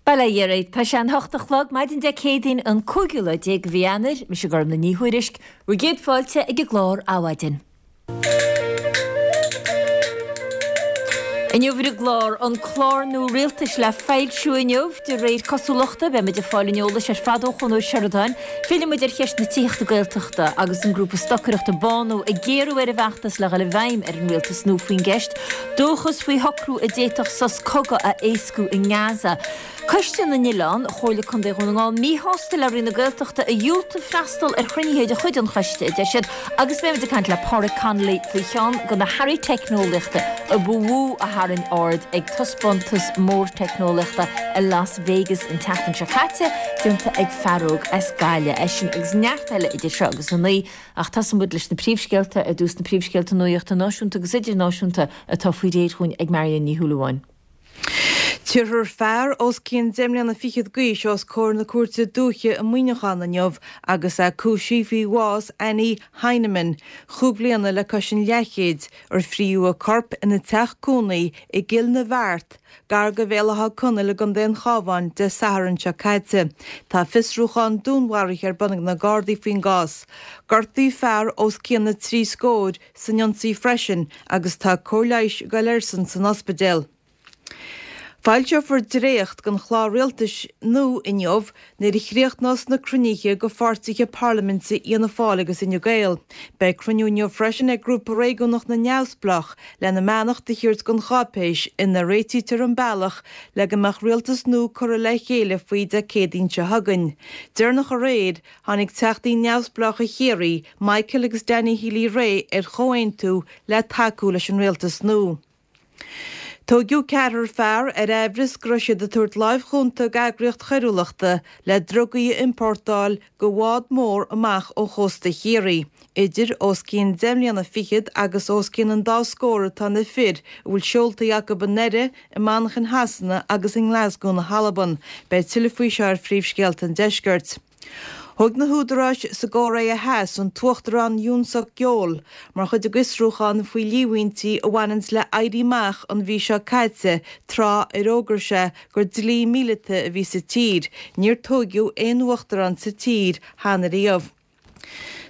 Bail ó Dhia oraibh. Tá sé an hocht a chlog, maidin Dé Céadaoin an cúigiú lá déag de mhí Eanáir. Mise Gormlaith Ní Thuairisg, bhur gcéad fáilte ag an gclár Adhmhaidin. Inniu ar an gclár, an clár nua rialtais le foilsiú inniu, de réir cosúlachta. Beidh muid ag fáil an eolais ar fad ó Chon Ó Seireadáin. Fillfidh muid ar cheist na tithíochta Gaeltachta agus an grúpa stocaireachta Bánú ag géarú ar an bhfeachtas le dhul i bhfeidhm ar an rialtas nua faoin gceist. Dóchas faoi shocrú a d'fhéadfadh sos cogaidh a éascú i nGaza. Coiste na nOileán, Chomhairle Contae Dhún na nGall míshásta le Roinn na Gaeltachta a dhiúltaigh freastal ar chruinnithe de chuid an choiste, a deir siad, agus beidh muid ag caint le Páraic Connolly faoi cheann de na hearraí teicneolaíochta a ba mhó a tharraing aird ag taispeántas mór teicneolaíochta i Las Vegas an tseachtain seo caite, déanta ag fear óg as Gaillimh. É sin agus neart eile idir seo agus a naoi, ach tosóidh muid leis na príomhscéalta ar dtús, na príomhscéalta nuachta náisiúnta agus idirnáisiúnta atá faoi réir dhúinn ag Marion Ní Shúilleabháin. Tabharfar fear os cionn deich mbliana fichead d'aois os comhair na Cúirte Dúiche i Muineachán inniu agus é cúisithe faoi bhás Annie Heinemann, chúig bliana le cois an leathchéid, ar fríodh a corp ina teach cónaí i gCill na Bheart, gar do Bhéal Átha Conaill i gContae an Chabháin, Dé Sathairn seo caite. Tá fiosrúchán dúnmharaithe ar bun ag na Gardaí faoin gcás. Gortaíodh fear os cionn na dtrí scóir san ionsaí freisin agus tá cóir leighis ag dul airsean san ospidéal. Foilseofar dréacht den chlár rialtais nua inniu nuair a chríochnós na cruinnithe de pháirtithe parlaiminte Fhianna Fáil agus Fhine Gael. Beidh cruinniú inniu freisin ag Grúpa Réigiúnach na Neamhspleách lena mbeannacht a thabhairt don cháipéis ina réitítear an bealach le go mbeadh rialtas nua curtha le chéile faoi Dé Céadaoin seo chugainn. Deireanach aréir, Tháinig teachtaí neamhspleácha Chiarraí, Michael agus Danny Healy-Rae ar chomhaontú le tacú leis an rialtas nua. Tóigeadh ceathrar fear ar aimhreas go raibh siad ag tabhairt láimh chúnta d'eagraíocht choiriúlachta le drugaí a iompórtáil de bhád mór amach ó chósta Chiarraí. Idir os cionn deich mbliana fichead agus os cionn an dá scór atá na fir a bhfuil seoltaí acu i nDoire, i Manchain Shasana agus i nGlasgow na hAlban. Beidh tuilleadh faoi seo ar Phríomhscéalta an Deiscirt. Thóg na húdaráis sa gCóiré Theas an tUachtarán Yoon Suk Yeol mar chuid de bhfiosrúchán faoi líomhaintí a bhaineanns le éirí amach an mhí seo caite tráth ar fhógair sé gur dlí míleata a bhí sa tír. Níor tóigeadh aon uachtarán sa tír cheana riamh.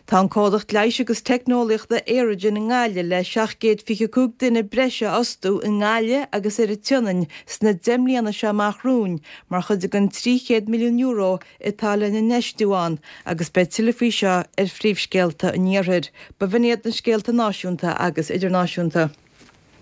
Tá an comhlacht leighis agus teicneolaíochta Aerogen i nGaillimh le 725 duine breise a fhostú i nGaillimh agus ar an tSionainn sna 10 mbliana seo amach romhainn mar chuid den €300 milliún atá lena n-infheistiú ann agus beidh tuilleadh faoi seo ar Phríomhscéalta an Iarthair. B'in iad na scéalta náisiúnta agus idirnáisiúnta.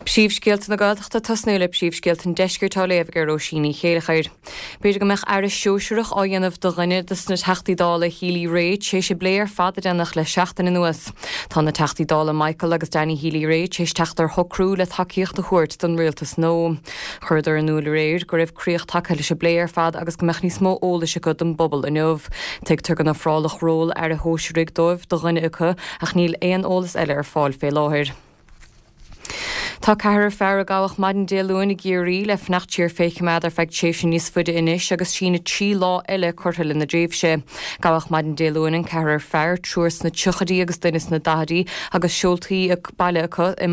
Príomhscéalta na Gaeltachta Tosnú le Príomhscéalta an Deiscirt á léamh ag Róisín Ní Chéilleachair. B'fhéidir go mbeadh aire sóisearach á dhéanamh de dhuine de na Teachtaí Dála Healy-Rae tar éis an bplé ar fad a déanadh le seachtain anuas. Tá na Teachtaí Dála Michael agus Danny Healy-Rae tar éis teacht ar shocrú le tacaíocht a thabhairt don rialtas nua. Chuireadar in iúl aréir go raibh críoch tagtha leis an bplé ar fad agus go mbeadh níos mó eolais acu don bpobal inniu. Tuigtear go n-ofráladh ról aire shóisearaigh dóibh do dhuine acu ach níl aon eolas eile ar fáil fé láthair. Tá ceathrar fear a gabhadh maidin Dé Luain i gCiarraí le fanacht siar fé choimeád ar feadh tréimhse níos faide anois agus síneadh 3 lá eile curtha lena dtréimhse. Gabhadh maidin Dé Luain an ceathrar fear, triúr sna tríochaidí agus duine sna daichidí, agus seoltaí baile acu i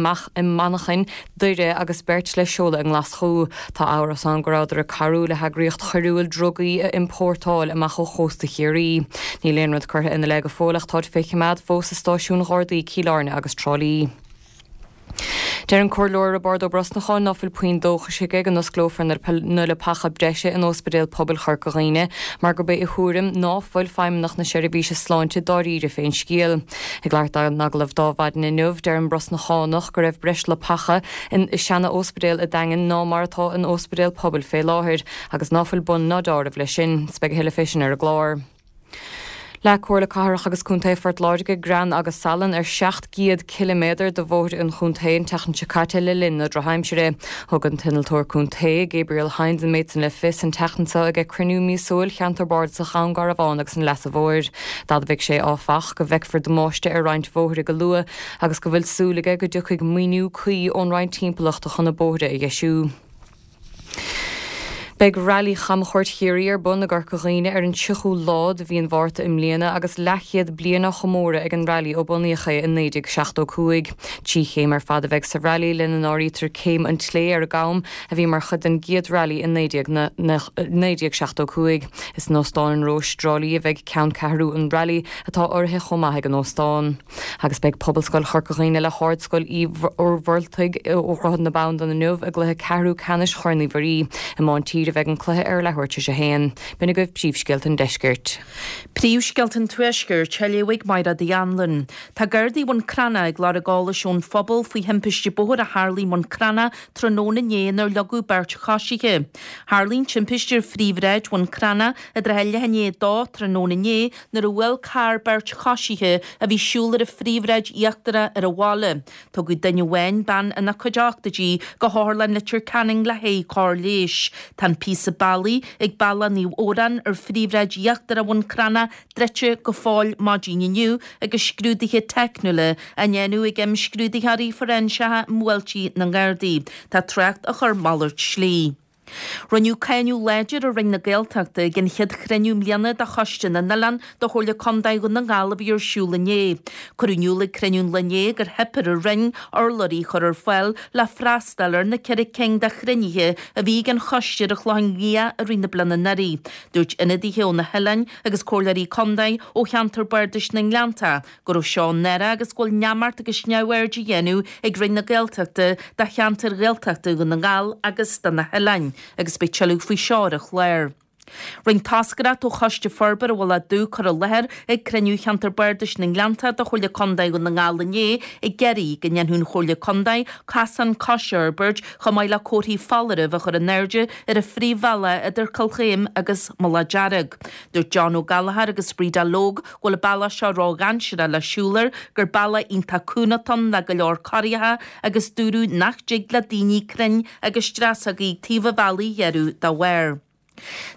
Manchain, Doire agus beirt le seoladh i nGlaschú. Tá amhras ann go rabhadar ag cabhrú le heagraíocht choiriúil drugaí a iompórtáil amach ó chósta Chiarraí. Níl aon rud curtha ina leith go fóill ach táid fé choimeád fós i stáisiúin Ghardaí Cill Airne agus Trá Lí. Deir an Comhairleoir Roibeárd Ó Brosnacháin ná fuil puinn dóchais aige go n-osclófar na leapacha breise in Óspidéal Pobail Chorca Dhuibhne mar gurb é a thuairim ná fuil Feidhmeannacht na Seirbhíse Sláinte dáiríre fén scéal. Ag labhairt dó in agallamh d'Adhmhaidin inniu, deir an Brosnachánach go raibh breis leapacha in seana-óspidéal a' Daingin ná mar atá in óspidéal pobail fé láthair agus ná fuil bun ná deáramh leis sin. 'S beidh a thuilleadh fé sin ar an gclár. Leag Comhairle Cathrach agus Contae Phort Láirge grean agus salann ar 700 ciliméadar de bhóithre an chontae an tseachtain seo caite le linn na drochaimsire. Thug an t-innealtóir contae, Gabriel Hynes an méid san le fios an tseachtain seo ag cruinniú míosúil Cheantar Bardasach Dhún Garbhán agus an Leasa Mhóir. D'admhaigh sé, áfach, go bhfeicfear damáiste ar roinnt bhóithre go luath agus go bhfuil súil aige go dtiocfaidh maoiniú cuí ón Roinn Timpeallachta chun na bóithre a dheisiú. Beidh Railí Chamchuairt Chiarraí ar bun i gCorca Dhuibhne ar an 30ú lá de mhí an Mhárta i mbliana agus leathchéad bliain á chomóradh ag an Railí ó bunaíodh é i 1975. 3 chéim ar fad a bheidh sa Railí, lena n-áirítear Céim an tSlé ar an gCam, a bhí mar chuid den gcéad Railí i 1975. Is in Óstán an Róis, i dTrá Lí a bheidh ceanncheathrú an Railí, atá urraithe chomh maith ag an óstán. Agus beidh Pobalscoil Chorca Dhuibhne le hArdscoil Uí Mhuircheartaigh ó Dhroichead na Bandan inniu i gcluiche ceathrú ceannais Chorn Uí Mhuirí. I mbá an Tír a bheidh an cluiche ar leathuair tar éis a haon. B'in agaibh príomhscéalta an deiscirt. Príomhscéalta an Tuaiscirt, á léamh ag Mairéad Uí Anluain. Tá Gardaí Bhun Cranncha ag lorg eolais ón phobal faoi thimpiste bóthair a tharlaigh i mBun Cranncha tráthnóna inné inar leagadh beirt choisithe. Tharlaigh an timpiste ar phríomhshráid Bhun Cranncha i dtrátha leath i ndiaidh a dó tráthnóna inné nuair a bhuail carr beirt choisithe a bhí siúl ar an phríomhshráid íochtarach ar an bhaile. Tugadh duine amháin, bean ina cuid ochtóidí, go hOtharlann Leitir Ceanainn le haghaidh cóir leighis. Tá an píosa bealaigh ag Bealach Naomh Odhrán ar phríomhshráid íochtarach Bhun Cranncha druidte go fóill maidin inniu agus scrúduithe teicniúla á ndéanamh ag imscrúdaitheoirí fóiréinseacha i mbuailtí na nGardaí. Tá trácht á chur malairt slí. Rinneadh cáineadh láidir ar Roinn na Gaeltachta ag an chéad chruinniú mbliana de Choiste na nOileán de Chomhairle Contae Dhún na nGall a bhí ar siúl inné. Cuireadh in iúl ag cruinniú an lae inné gur theip ar an Roinn urlabhraí a chur ar fáil le freastal ar na ceithre cinn de chruinnithe a bhí ag an choiste ar an Chlochán Liath i rith na bliana anuraidh. Dúirt ionadaithe ó na hoileáin agus comhairleoirí contae ó cheantar bardais na nGleannta go raibh seo náireach agus go bhfuil neamart agus neamhaird á dhéanamh ag Roinn na Gaeltachta de cheantair Ghaeltachta Dhún na nGall agus de na hoileáin agus beidh tuilleadh faoi seo ar an chlár. Rinne toscaireacht ó Choiste Forbartha Mhullach Dubh cur i láthair ag cruinniú Cheantar Bardais na nGleannta de Chomhairle Contae Dhún na nGall inné ag iarraidh go ndéanfadh an Chomhairle Contae casán coise a fhorbairt chomh maith le comharthaí foláirimh a chur in airde ar an phríomhbhealach idir Cill Chaoim agus Mullach Dearg. Dúirt John Ó Gallchóir agus Breda Logue go bhfuil an bealach seo ródhainséarach le siúl air, gur bealach iontach cúng atá ann le go leor corraithe agus dúradh nach dtig le daoine crainn agus dreasógaí ag taobh an bhealaigh a ghearradh dá bharr.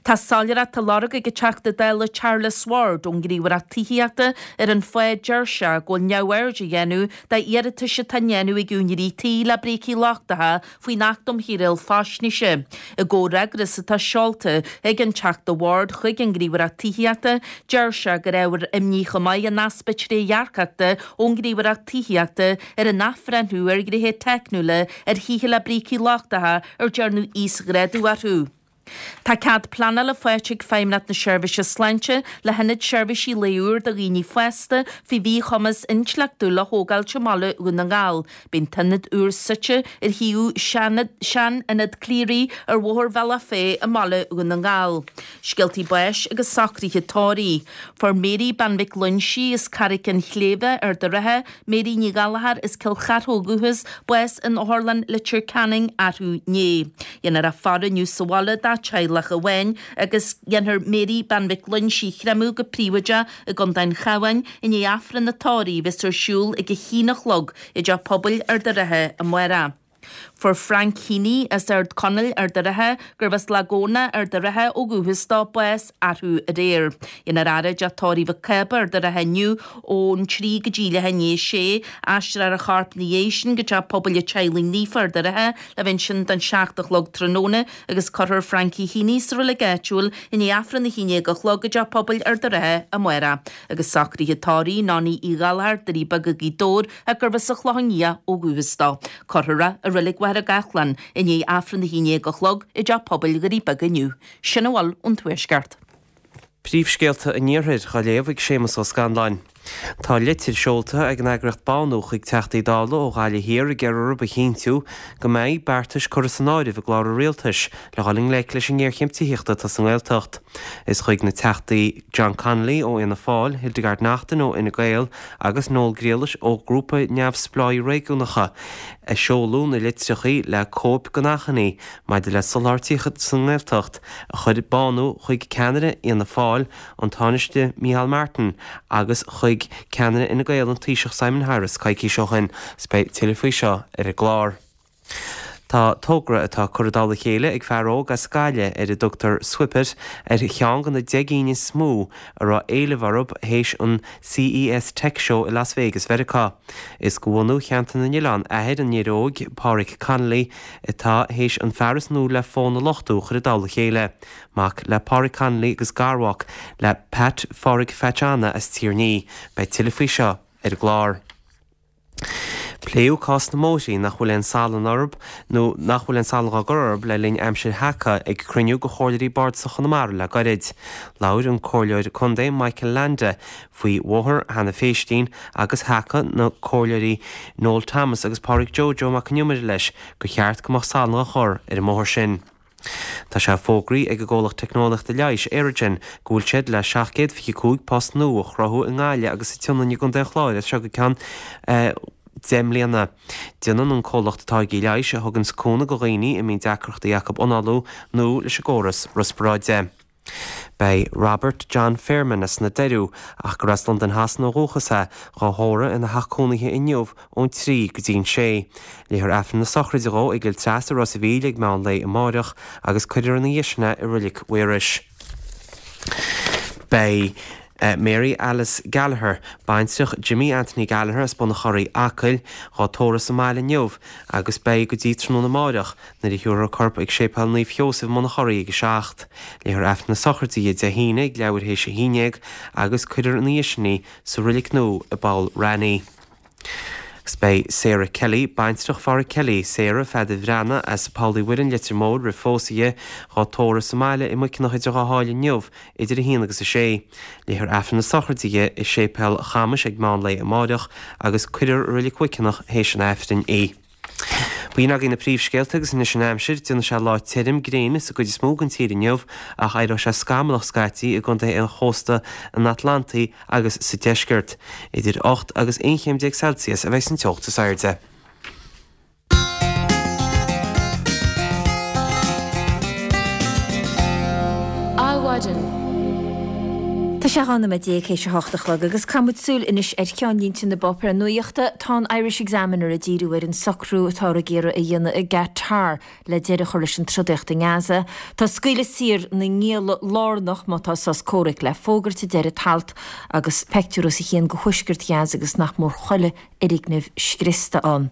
Tá soiléireacht á lorg ag an Teachta Dála Charles Ward ón nGníomhaireacht Tithíochta ar an fáth a deir sé go bhfuil neamhaird á dhéanamh d'iarratais atá á ndéanamh ag úinéirí tí le brící lochtacha faoin Acht um Shaoráil Faisnéise. I gcomhfhreagras atá seolta ag an Teachta Ward chuig an nGníomhaireacht Tithíochta, deir sé gur ábhar imní chomh maith an easpa trédhearcachta ón nGníomhaireacht Tithíochta ar an athbhreithniú ar ghnéithe teicniúla ar thithe le brící lochtacha ar dearnadh íosghrádú orthu. Tá cead pleanála faighte ag Feidhmeannacht na Seirbhíse Sláinte le hIonad Seirbhísí Lae úr do dhaoine fásta faoi mhíchumas intleachtúil a thógáilt i mbaile Dhún na nGall. Beidh an t-ionad úr suite ar shuíomh sean-Ionad Cleary ar Bhóthar Bhealach Féich i mbaile Dhún na nGall. Scéaltaí báis agus socruithe tórraimh. Fuair Mary Bean Mhic Loinsigh as Carraic an Tsléibhe, Ard an Rátha, Mary Ní Ghallchóir as Cill Chartha ó dhúchas, bás in Otharlann Leitir Ceanainn arú inné. Dhéanfar a faire inniu sa bhaile dá teaghlach amháin agus dhéanfar Mary Bean Mhic Loingsigh a chreimeadh go príobháideach i gContae an Chabháin i ndiaidh Aifreann an tórraimh a bheas ar siúl ag a haon a chlog i dTeach Pobail Ard an Rátha amárach. Fuair Frank Heaney as Ard Conaill, Ard an Rátha, gurbh as Lag Eoghna, Ard an Rátha ó dhúchas dó, bás arú aréir. Dhéanfar a fhaire i dTeach Tórraimh Mhic Cába, Ard an Rátha inniu ón 3 go dtí leath i ndiaidh a sé. Aistreofar a chorp ina dhiaidh sin go Teach Pobail an Teaghlaigh Naofa, Ard an Rátha, le bheith ansin don 7 a chlog tráthnóna agus cuirfear Frankie Heaney sa reilig áitiúil i ndiaidh Aifreann a haon déag a chlog i dTeach Pobail Ard an Rátha amárach. Agus socruithe tórraimh Nonie Uí Ghallchóir, Doirí Beaga, Gaoth Dobhair, ach gurbh as an Chlochán Liath ó dhúchas dó. Cuirfear é i Reilig Mhachaire Gathlán i ndiaidh Aifreann a haon déag a chlog i dTeach Pobail Dhoirí Beaga inniu. Sin a bhfuil ón Tuaisceart. Príomhscéalta an Iarthair á léamh ag Séamus Ó Scanláin. Tá litir seolta ag an eagraíocht Bánú chuig Teachtaí Dála ó Ghaillimh Thiar ag iarraidh orthu a chinntiú go mbeidh beartais curtha san áireamh i gclár an Rialtais le dhul i ngleic leis an ngéarchéim tithíochta atá sa nGaeltacht. Is chuig na Teachtaí John Connolly ó Fhianna Fáil, Hildegarde Naughton ó Fhine Gael agus Noel Grealish ó Ghrúpa Neamhspleáigh Réigiúnacha a seoladh na litreacha le cóip den achainí maidir le soláthar tithíochta sa nGaeltacht a chuir Bánú chuig ceannaire Fhianna Fáil, an Tánaiste Micheál Martin agus chuig ceannaire Fhine Gael, an Taoiseach Simon Harris coicís ó shin. Beidh tuilleadh faoi seo ar an gclár. Tá togra atá curtha i dtoll a chéile ag fear óg as Gaillimh ar a dtugtar Swipet ar cheann de na 10 gcinn is mó a raibh éileamh orthu théis an CES Tech Show i Las Vegas Mheiriceá. Is de bhunadh Cheantar na nOileán athair an fhir óig, Páraic Connolly, atá théis an fearas nua le fón a luchtú a chur i dtoll a chéile. Mac le Páraic Connolly agus garmhac le Pat Pháraic Phatch Anna as Tír an Fhí. Beidh tuilleadh faoi seo ar an gclár. Pléadh cás na mbóithrí nach bhfuil aon salann orthu nó nach bhfuil aon salann dhá gcur orthu le linn aimsir sheaca ag cruinniú de Chomhairleoirí Bardasach Chonamara le gairid. Labhair an Comhairleoir Contae Michael Leainde faoi bhóthar Hannah Phéistín agus thacaigh na Comhairleoirí Noel Thomas agus Pádraig Joe Joe Mac an Iomaire leis gur cheart go mbeadh salann dhá chur ar an mbóthar sin. Tá sé fógraithe ag an gcomhlacht teicneolaíochta leighis, Aerogen, go bhfuil siad le 725 post nua a chruthú i nGaillimh agus sa tSionainn i gContae an Chláir as seo go ceann 10 mbliana. Déanann an comhlacht táirgí leighis a thuganns cúnamh do dhaoine a mbíonn deacrachtaí acu análú nó leis an gcóras riospráide. Beidh Robert John Fairman as na Doiriú, ach gur as Londain Shasana ó dhúchas é, dhá thórramh ina theach cónaithe inniu ón 3 go dtí an 6. Léifear Aifreann na sochraide dhó i gCill Treasa, Ros a' Mhíl ag meán lae amáireach agus cuirfear ina dhiaidh sin é i Roilig Mhaorais. Beidh Mary Alice Gallagher, baintreach Jimmy Anthony Gallagher as Bun an Chorraigh, Acaill, dhá tórramh sa mbaile inniu agus beidh go dtí tráthnóna amáireach nuair a thabharfar a corp ag Séipéal Naomh Sheosaimh i mBun an Chorraigh ag 7. Léifear Aifreann na sochraide di Dé hAoine ag leathuair théis a haon déag agus cuirfear ina dhiaidh sin í sa roilig nua i bPoll Raithní. Agus beidh Sarah Kelly, baintreach Pháraic Kelly, Sarah Pheadair Bhreathnaigh as Poll Uí Mhuirinn, Leitir Móir, roimh phósadh di, dhá tórramh sa mbaile i Muiceanach idir Dhá Sháile inniu idir 1 agus 6. Léifear Aifreann na sochraide di i Séipéal Chamais ag meán lae amáireach agus cuirfear i Roilig Mhuiceanach théis an Aifrinn í. B'in agaibh na príomhscéalta agus anois an aimsir. Déanfaidh sé lá tirim gréine sa gcuid is mó den tír inniu ach éireoidh sé scamallach scaití i gcontaetha an chósta an Atlantaigh agus sa deisceart. Idir 8 agus 11 chéim Celsius a bheidh san teocht is airde. Adhmhaidin. Tá sé 12 nóiméad théis a hocht a chlog agus caithfidh muid súil anois ar cheannlínte na bpáipéar nuachta. Tá an Irish Examiner ag díriú ar an socrú atáthar ag iarraidh a dhéanamh i gCatar le deireadh a chur leis an trodaíocht i nGaza. Tá scaoileadh saor na ngialla lárnach má tá sos comhraic le fógairt, a deir an t-alt agus peictiúr os a chionn de thuaisceart Ghaza agus nach mór chuile fhoirgneamh scriosta ann.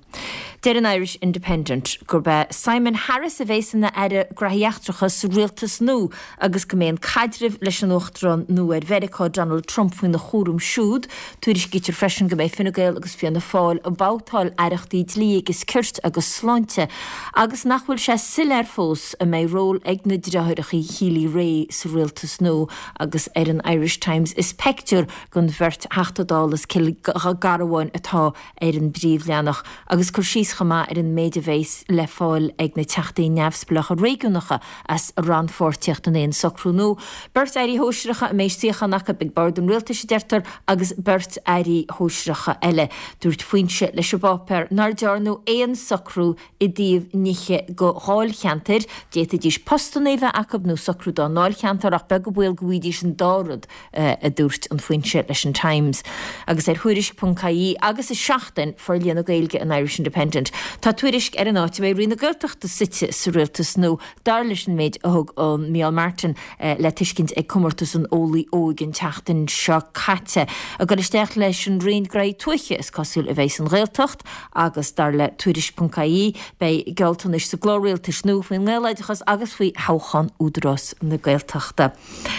Deir an Irish Independent gurb é Simon Harris a bheas ina Aire Graithí Eachtracha sa rialtas nua agus go mbeidh an caidreamh leis an Uachtarán nua ar Mheiriceá, Donald Trump, faoina chúram siúd. Tuairiscítear freisin go mbeidh Fine Gael agus Fianna Fáil ag babhtáil aireachtaí dlí agus cirt agus sláinte agus nach bhfuil sé soiléir fós an mbeidh ról ag na deartháireacha Healy-Rae sa rialtas nua agus ar an Irish Times is peictiúr den bheirt Theachta Dála as Cill Garbháin atá ar an bpríomhleathanach agus cur síos chomh maith ar an méid a bheas le fáil ag na Teachtaí neamhspleácha réigiúnacha as a rannpháirtíocht in aon socrú nua. Beirt Airí Shóisearacha a mbeidh suíochán acu ag bord an Rialtais, a deirtear, agus beirt Airí Shóisearacha eile. Dúirt foinse leis an bpáipéar nár dearnadh aon socrú i dtaobh nithe do dháilcheantair, d'fhéadfaidís postanna a bheith acu nó socrú dá ndáilcheantar ach beag an baol go bhfaighidís an dá rud, a dúirt an foinse leis an Times. Agus ar Thuairisc ponc ie agus i Seachtain, forlíonadh Gaeilge an Irish Independent, tá tuairisc ar an áit a mbeidh Roinn na Gaeltachta suite sa rialtas nua, dar leis an méid a thug an Micheál Martin le tuiscint ag comórtas an Eolaí Óig an tseachtain seo caite. Ag dul isteach leis an Roinn Graithí Tuaithe, is cosúil, a bheidh an Ghaeltacht. Agus dar le Tuairisc ponc ie, beidh gealltanais sa gclár rialtais nua faoin nGaeloideachas agus faoi thoghchán Údarás na Gaeltachta.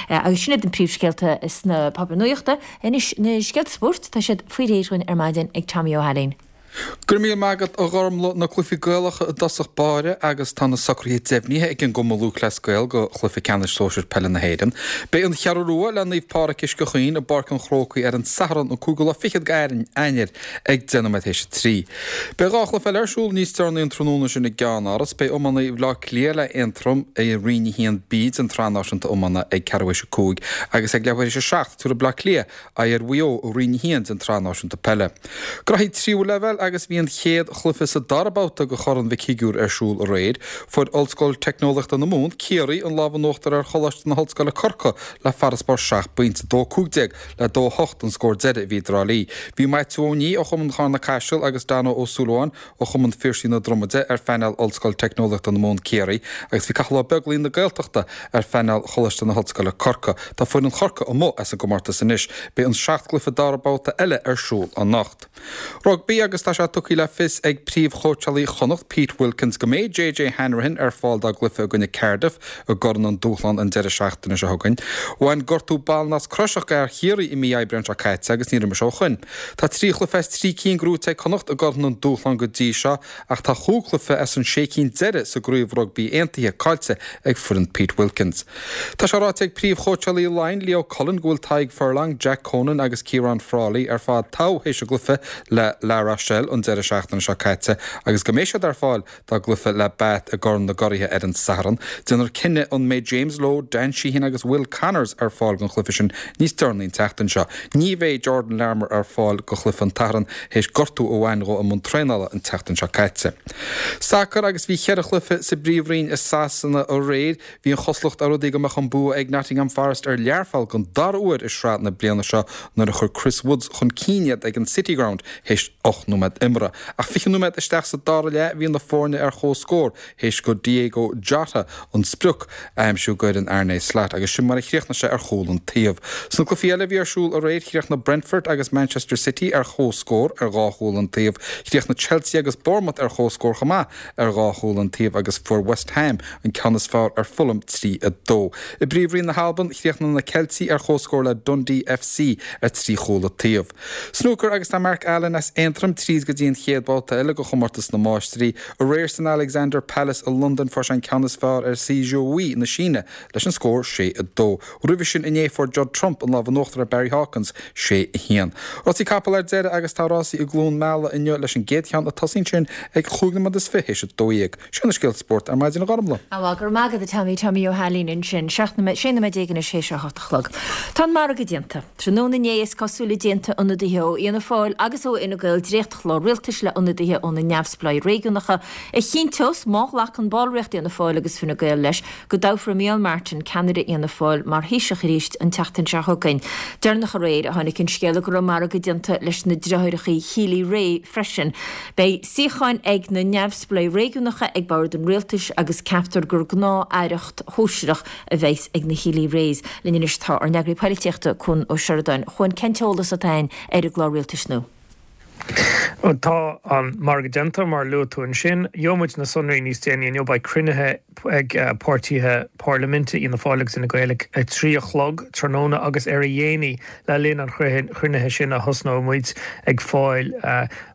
Agus sin iad na príomhscéalta sna páipéir nuachta. Anois na scéalta spóirt, tá siad faoi réir dhúinn ar maidin ag Tommy Ó hAilín. Go raibh míle maith agat a Ghormlaith, na cluichí Gaelacha i dtosach báire agus tá na socruithe deimhnithe ag an gCumann Lúthchleas Gael do chluiche ceannais sóisir peile na hÉireann. Beidh an Cheathrú Rua le Naomh Pádraig Uisce Chaoin i bPáirc an Chrócaigh ar an Satharn an cúigiú lá fichead d'Eanáir. ag 10 nóiméad théis a 3. Beidh 2 chluiche eile ar siúl níos deireanaí an tráthnóna sin i gceannáras. Beidh iománaí Bhaile Átha Cliath le Aontroim i Roinn 1B den tSraith Náisiúnta Iomána ag ceathrú théis a 5 agus ag leathuair théis a 7 tabharfaidh Bleá Cliath aghaidh ar Mhaigh Eo i Roinn 1 den tSraith Náisiúnta Peile. Graithí tríú leibhéal. agus bhí an chéad chluiche sa dara babhta de Chorn Mhic Shigiúir ar siúl aréir. Fuair Ollscoil Teicneolaíochta na Mumhan, Ciarraí, an lámh in uachtar ar Choláiste na hOllscoile, Corcaigh, le farasbarr seacht bpointe, 2-15 le 2-8 an scór deiridh a bhí i dTrá Lí. Bhí Maitiú Ó Nia ó Chumann Charna Caiseal agus Danno Ó Súilleabháin ó Chumann Phiarsaigh na Dromaide ar phainéal Ollscoil Teicneolaíochta na Mumhan, Ciarraí, agus bhí Cathal Ó Beaglaoi na Gaeltachta ar phainéal Choláiste na hOllscoile, Corcaigh. Tá foireann Chorcaí amuigh as an gcomórtas anois. Beidh an seacht gcluiche dara babhta eile ar siúl anocht. Rugbaí agus tá sé tugtha le fios ag príomhchóitseálaí Chonnacht, Pete Wilkins, go mbeidh JJ Hanrahan ar fáil dá gcluiche i gcoinne Cardiff i gCorn an Dúshlán an deireadh seachtaine seo chugainn. Bhain gortú ballnasc croiseach d'fhear Chiarraí i mí Aibreáin seo caite agus níor imir sé ó shoin. Tá 3 chluiche as 3 cinn gnóite ag Connacht i gCorn an Dúshlán go dtí seo ach tá chúig chluiche as an sé cinn deiridh sa gCraobh Rugbaí Aontaithe caillte ag foireann Pete Wilkins. Tá sé ráite ag príomhchóitseálaí Laighean, Leo Cullen, go bhfuil Tadhg Furlong, Jack Conan agus Ciarán Frawley ar fad togha théis a gcluiche le La Rochelle an deireadh seachtaine seo caite agus go mbeidh siad ar fáil dá gcluiche le Bath i gCorn na gCuraithe ar an Satharn. Déanfar cinneadh an mbeidh James Lowe, Dan Sheehan agus Will Connors ar fáil don chluiche sin níos deireanaí an tseachtain seo. Ní bheidh Jordan Larmour ar fáil do chluiche an tSathairn théis gortú a bhain dhó i mbun traenála an tseachtain seo caite. Sacar agus bhí cheithre chluiche sa bPríomhroinn i Sasana aréir. Bhí an chosúlacht ar rudaí go mbeadh an bua ag Nottingham Forest ar Learpholl don dara huair i sraith na bliana seo nuair a chuir Chris Woods chun cinn iad ag an City Ground théis 8 nóiméad imeartha. Ach 20 nóiméad isteach sa dara leath bhí na foirne ar comhscór théis go Diego Jota an sprioc a aimsiú d'fhoireann Arne Slot agus sin mar a chríochnaigh sé ar chúl an taobh. Sna cluichí eile a bhí ar siúl aréir chríochnaigh Brentford agus Manchester City ar comhscór ar dhá chúl an taobh. Chríochnaigh Chelsea agus Bournemouth ar comhscór chomh maith ar dhá chúl an taobh agus fuair West Ham an ceann is fearr ar Fulham 3, 2. I bPríomhroinn na hAlban, chríochnaigh na Ceiltigh ar comhscór le Dundee FC ar 3 chúl an taobh. Snúcar agus tá Mark Allen as Aontroim tríd go dtí an chéad bhabhta eile de chomórtas na Máistrí. Aréir san Alexander Palace i Londain fuair sé an ceann is fearr ar Si Jiahui na Síne leis an scór 6, 2. Roimhe sin inné fuair Judd Trump an lámh in uachtar ar Barry Hawkins, 6, 1. Rásaí capall ar deireadh agus tá rásaí i gCluain Meala inniu leis an gcéad cheann ag tosaí ansin ag chúig nóiméad is fiche théis a 12. Sin na scéalta spóirt ar maidin a Ghormlaith. Bhuel, go raibh maith agat a Tommy, Tommy Ó hAilín ansin. 16 nóiméad anois théis a 8 a chlog. Tá an margadh déanta. Tráthnóna inné is cosúil a d'aontaigh ionadaithe ó Fhianna Fáil agus ó Fhine Gael dréachtchlár rialtais le hionadaithe ó na neamhspleáigh réigiúnacha a chinnteos, má ghlacann ballraíocht Fhianna Fáil agus Fine Gael leis, go dtoghfar Micheál Martin, ceannaire Fhianna Fáil, mar Thaoiseach arís an tseachtain seo chugainn. Deireanach aréir a tháinig an scéala go raibh margadh déanta leis na deartháireacha Healy-Rae freisin. Beidh suíocháin ag na neamhspleáigh réigiúnacha ag bord an rialtais agus ceaptar gur gnáth-aireacht shóisearach a bheas ag na Healy-Raes. Linn anois tá ár n-eagraí poilitíochta, Cuan Ó Seireadáin. A Chuain, cén t-eolas atá againn ar an gclár rialtais nua? Tá an margadh déanta, mar a luaigh tú ansin. Gheobhaidh muid na sonraí níos déanaí inniu. Beidh cruinnithe ag páirtithe parlaiminte Fhianna Fáil agus Fhine Gael ag 3 a chlog tráthnóna agus ar a dhéanaí le linn an chruinnithe sin a thosnóidh muid ag fáil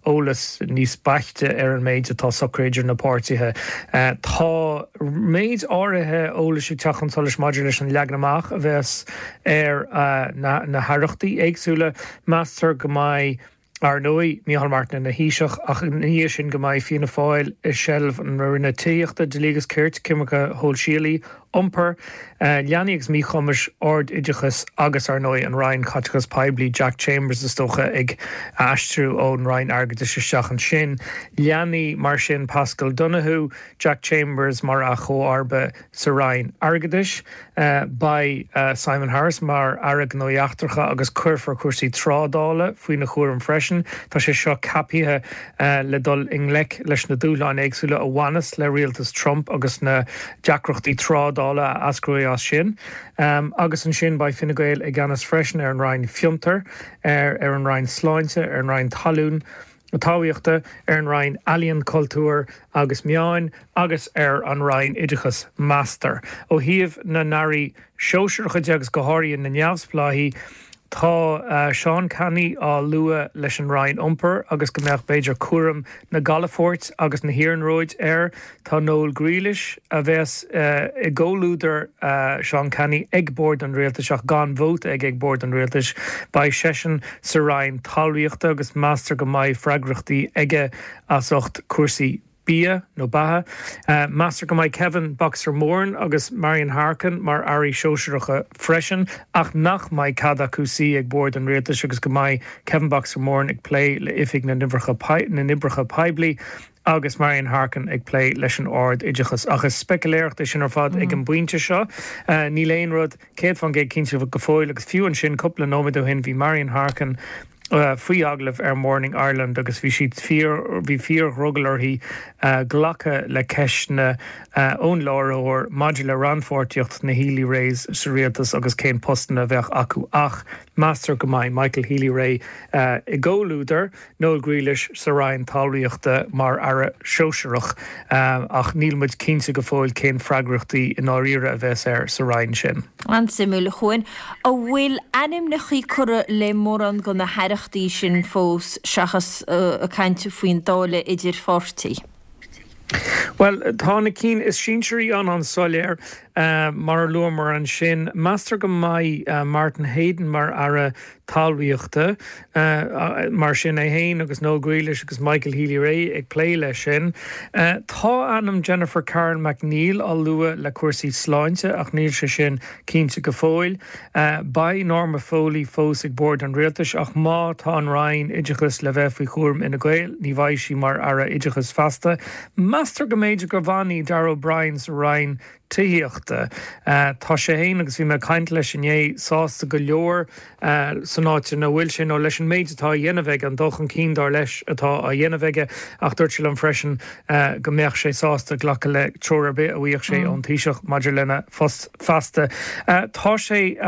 eolas níos beaichte ar an méid atá socraithe idir na páirtithe. Tá méid áirithe eolais ag teacht chun solais maidir leis an leagan amach a bheas ar na haireachtaí éagsúla. Meastar go mbeidh, ar ndóigh, Micheál Martin ina Thaoiseach ach ina dhiaidh sin go mbeidh Fianna Fáil i seilbh na Roinne Tithíochta, Dlí agus Cirt, Coimirce Shóisialaí, Iompair, Leanaí agus Míchumais, Ard-Oideachas agus, ar ndóigh, an Roinn Caiteachais Poiblí, Jack Chambers is dócha ag aistriú ón Roinn Airgeadais isteach ansin. Leanaí, mar sin, Paschal Donohoe, Jack Chambers mar a chomharba Sa Roinn Airgeadais, beidh Simon Harris mar Aire Gnóthaí Eachtracha agus cuirfear cúrsaí trádála faoina chúram freisin. Tá sé seo ceaptha le dul i ngleic leis na dúshláin éagsúla a bhaineas le rialtas Trump agus na deacrachtaí trádála a eascróidh as sin. Agus ansin beidh Fine Gael i gceannas freisin ar an Roinn Fiontar, ar an Roinn Sláinte, ar an Roinn Talún, Talmhaíochta, ar an Roinn Ealaíon, Cultúir agus Meáin agus ar an Roinn Oideachais, meastar. Ó thaobh na n-airí sóisearacha de agus go háirithe na neamhspleáigh, tá Seán Canney á lua leis an Roinn Iompair agus go mbeadh b'fhéidir cúram na gcalafort agus na hiarnróid air. Tá Noel Grealish, a bheas i gcomhluadar Seán Canney ag bord an rialtais ach gan vóta aige ag bord an rialtais, beidh seisean sa Roinn Talmhaíochta agus meastar go mbeidh freagrachtaí aige as ucht cúrsaí. Bia nó Beatha. Meastar go mbeidh Kevin Boxer Moran agus Marian Harkin mar airí sóisearacha freisin ach nach mbeidh cead acu suí ag bord an rialtais agus go mbeidh Kevin Boxer Moran ag plé le Oifig na nOibreacha Poiblí agus Marian Harkin ag plé leis an ard-oideachas. Ach is speicealéireacht é sin ar fad ag an bpointe seo. Níl aon rud 100% cinnte go fóill agus fiú ansin cúpla nóiméad ó shin bhí Marian Harkin faoi agallamh ar Morning Ireland agus bhí siad fíor, bhí fíor-dhrogall uirthi glacadh le ceisteanna ón láithreoir maidir le rannpháirtíocht na Healy-Raes sa rialtas agus cén postanna a bheadh acu ach meastar go mbeidh Michael Healy-Rae i gcomhluadar Noel Grealish sa Roinn Talmhaíochta mar Aire Sóisearach ach níl muid cinnte go fóill cén freagrachtaí i ndáiríre a bheas air sa Roinn sin. An-suimiúil, a Chuain. An bhfuil ainmneachaí curtha le mórán de na haireachtaí sin fós seachas caint faoin dáileadh idir pháirtí? Bhuel, tá na cinn is sinsearaí an-an-soiléir, mar a luamar ansin. Meastar go mbeidh Martin Heydon mar Aire Talmhaíochta. Mar sin, é féin agus Noel Grealish agus Michael Healy-Rae ag plé leis sin. Tá ainm Jennifer Carroll MacNeill á lua le cúrsaí sláinte ach níl sé sin cinnte go fóill. Beidh Norma Foley fós ag bord an rialtais ach má tá an Roinn Oideachais le bheith faoi chúram Fhine Gael ní bheidh sí mar Aire Oideachais feasta. Meastar go mb'fhéidir go bhfanfaidh Darragh O'Brien sa Roinn Tithíochta. Tá sé féin, agus bhí mé ag caint leis inné, sásta go leor san áit ina bhfuil sé nó leis an méid atá á dhéanamh aige, an dul chun cinn dar leis atá á dhéanamh aige ach dúirt sé liom freisin go mbeadh sé sásta glacadh le treoir ar bith a bhfaigheadh sé ón Taoiseach maidir lena phost feasta. Tá sé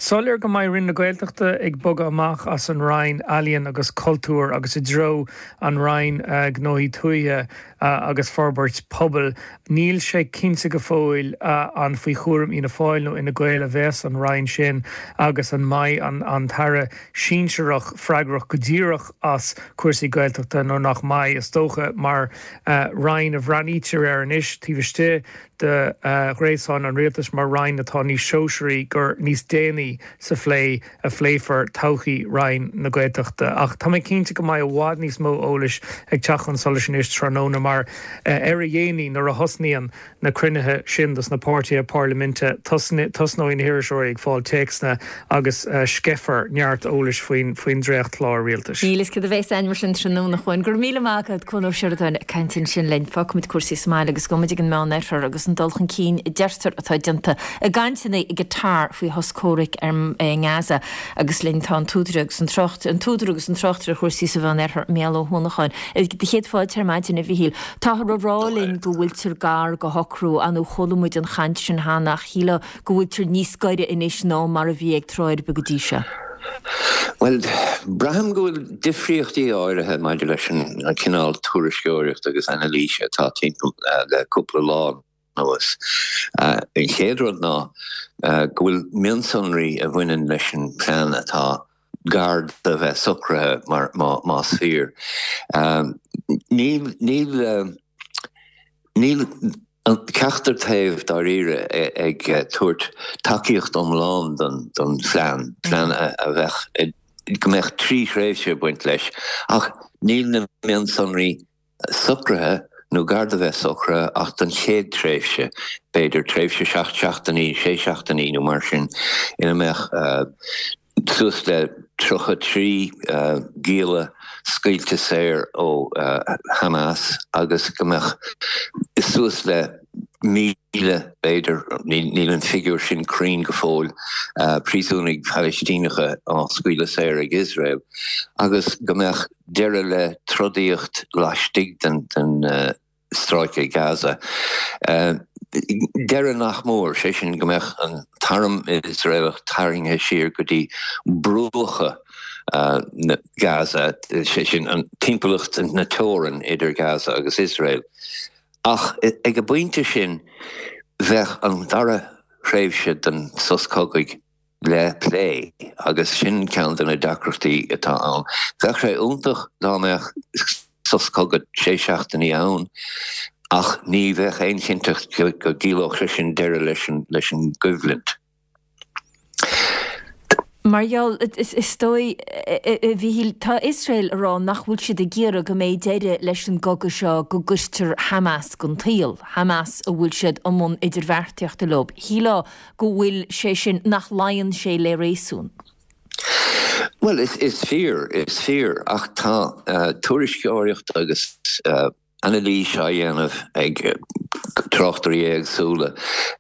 soiléir go mbeidh Roinn na Gaeltachta ag bogadh amach as an Roinn Ealaíon agus Cultúir agus i dtreo an Roinn Gnóthaí Tuaithe agus Forbairt Pobail. Níl sé cinnte go fóill an faoi chúram Fhianna Fáil nó Fhine Gael a bheas an Roinn sin agus an mbeidh an tAire sinsearach freagrach go díreach as cúrsaí Gaeltachta nó nach mbeidh. Is dócha mar Roinn a bhreathnaítear air anois taobh istigh de ghréasán an rialtais mar roinn atá níos sóisearaí gur níos déanaí sa phlé a phléifear todhchaí Roinn na Gaeltachta. Ach tá mé cinnte go mbeidh i bhfad níos mó eolais ag teacht chun solais anois tráthnóna mar ar a dhéanaí nuair a thosnaíonn na cruinnithe sin dos na páirtithe parlaiminte tosnóidh na hiriseoirí ag fáil téacsanna agus sceithfear neart eolais faoin dréachtchlár rialtais. Níl fhios cad a bheas ann mar sin tráthnóna, a Chuain. Go raibh míle maith agat, Cuan Ó Seireadáin, ag caint ansin linn. Fágfaimid cúrsaí sa mbaile agus gabhfaimid ag an Meán-Oirthear agus an dul chun cinn a deirtear atá déanta i gcainteanna i gCatar faoi shos comhraic i nGaza. Agus linn tá an t-údar agus an trácht, an t-údar agus an tráchtaire ar chúrsaí sa Mheán-Oirthear, Mícheál Ó hUanacháin. Do chéad fáilte ar maidin, a Mhíchíl. Táthar a rá linn go bhfuiltear gar do shocrú, ar ndóigh chuala muid an chaint sin cheana ach shílfeá go bhfuiltear níos gaire anois ná mar a bhí ag tráth ar bith go dtí seo. Bhuel, braithim go bhfuil difríochtaí áirithe maidir leis an cineál tuairisceoireachta agus anailíse atá timpeall le cúpla lá anuas. An chéad rud ná go bhfuil mionsonraí a bhaineann leis an bplean atá gar do bheith socraithe, más fíor. Níl, níl, níl ceachtar taobh dáiríre ag tabhairt tacaíocht iomlán don phlean, plean a bheadh, go mbeadh 3 thréimhse ag baint leis, ach níl na mionsonraí socraithe nó gar do bheith socraithe ach don chéad tréimhse, b'fhéidir tréimhse 7 seachtainí, 6 seachtainí nó mar sin, ina mbeadh suas le 33 gialla scaoilte saor ó Hamas agus go mbeadh suas le 1,000, b'fhéidir, níl an figiúr sin cruinn go fóill, príosúnaigh Phalaistíneacha á scaoileadh saor ag Iosrael agus go mbeadh deireadh le trodaíocht laistigh den stráice Gaza. Deireadh nach mór, sé sin go mbeadh an t-arm Iosraelach tarraingthe siar go dtí bruacha Gaza, sé sin an timpeallacht na teorann idir Gaza agus Iosrael. Ach ag an bpointe sin bheadh an dara thréimhse den sos cogaidh le plé agus sin ceann de na deacrachtaí atá ann. Bheadh sé iontach dá mbeadh sos cogaidh sé seachtainí ann ach ní bheadh aon chinnteacht go gciallódh sé sin deireadh leis an gcoimhlint. Mar gheall, is dóigh, a Mhíchíl, tá Iosrael ag rá nach bhfuil siad ag iarraidh go mbeidh deireadh leis an gcogadh seo go gcuirtear Hamas den tsaol, Hamas a bhfuil siad i mbun idirbheartaíochta leo. Shílfeá go bhfuil sé sin, nach luíonn sé le réasún. Bhuel, is fíor, is fíor, ach tá tuairisceoireacht agus anailís á dhéanamh ag tráchtairí éagsúla,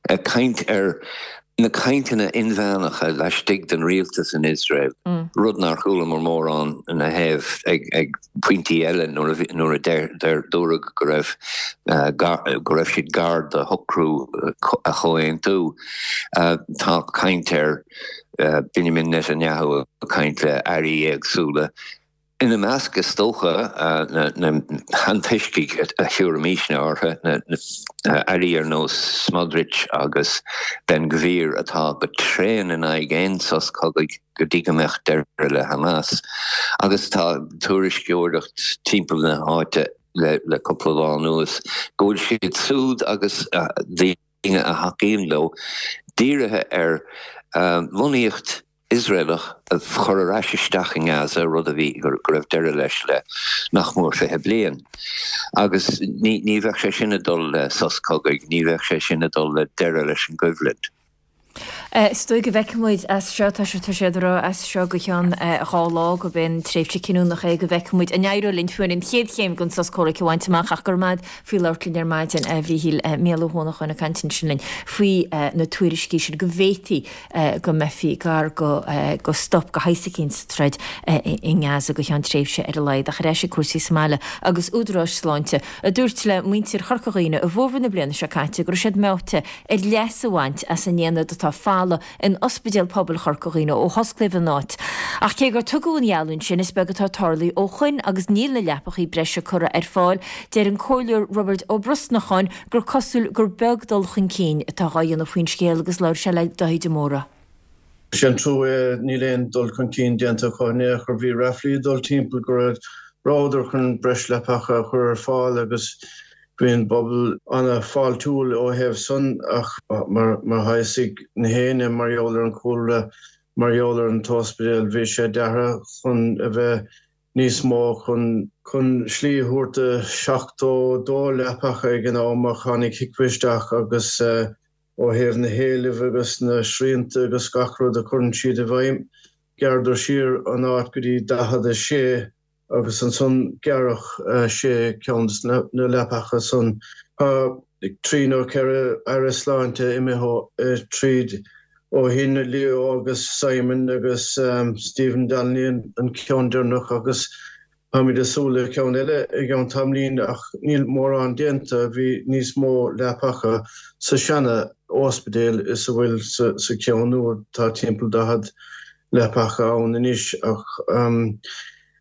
ag caint ar na cainteanna inmheánacha laistigh den rialtas in Iosrael, rud nár chualamar mórán ina thaobh ag pointí eile nuair a dúradh go raibh go raibh siad gar do shocrú a chomhaontú. Tá caint ar Benjamin Netanyahu ag caint le airí éagsúla. Ina measc, is dócha, na hantoiscigh a thabharfaimisne orthu, na airí ar nós Smotrich agus Ben Gvir atá go tréan in aghaidh aon sos cogaidh go dtí go mbeadh deireadh le Hamas. Agus tá tuairisceoireacht timpeall na háite le cúpla lá anuas go bhfuil siad súd agus daoine a thacaíonn leo dírithe ar lonnaíocht Iosraelach a chur ar ais isteach i nGaza, rud a bhí, go raibh deireadh leis le nach mór 20 bliain. Agus ní, ní bheadh sé sin ag dul le sos cogaidh, ní bheadh sé sin ag dul le deireadh leis an gcoimhlint. Is dóigh go bhfeicfidh muid as seo, tá sé, tá siad ag rá as seo go ceann 2 lá gurb é an tréimhse cinniúnach é go bhfeicfidh muid an éireoidh linn fiú an chéad chéim den sos comhraic a bhaint amach ach go raibh maith agat faoi labhairt linn ar maidin, a Mhíchíl. Mícheál Ó hUanacháin ag caint ansin linn faoi na tuairiscí sin go bhféadfaí go mbeifí gar go stop de shaghas eicínt sa troid i nGaza go ceann tréimhse ar a laghad. Ach ar ais ag cúrsaí sa mbaile agus údaráis sláinte a dúirt le muintir Chorca Dhuibhne i bhfómhar na bliana seo caite go raibh siad meáite ar leas a bhaint as an aonad atá folamh in Ospidéal Pobail Chorca Dhuibhne ó hosclaíodh an áit. Ach cé gur tugadh an gheallúint sin, is beag atá tarlaithe ó shoin agus níl na leapachaí breise curtha ar fáil. Deir an Comhairleoir Roibeard Ó Brosnacháin gur cosúil gur beag dul chun cinn atá dhá dhéanamh faoin scéal agus labhair sé le Dáithí de Mórdha. Is é an trua é, níl aon dul chun cinn déanta acu in aon chor. Bhí ráflaí ag dul timpeall go rabhadar chun breis leapacha a chur ar fáil agus bhí an bpobal an-fháiltiúil ó thaobh san ach mar tá fhios ag na héinne mar gheall ar an chúlra, mar gheall ar an t-ospidéal, bhí sé deartha chun a bheith níos mó chun chun slí a thabhairt do 72 leapacha ag an am ach tháinig HIQA isteach agus ó thaobh na héilimh agus na srianta agus gach rud a chuireann siad i bhfeidhm, ghearradar siar an áit go dtí 46 agus ansan gearradh sé ceann de na leapacha san. Tá trí nó ceithre Aire Sláinte imithe tríd ó shin, Leo agus Simon agus Stephen Donnelly an ceann deireanach agus táimid ag súil le ceann eile i gceann tamaillín ach níl mórán déanta, bhí níos mó leapacha sa seana ospidéal is a bhfuil sa cheann nua, tá timpeall 40 leapacha ann anois ach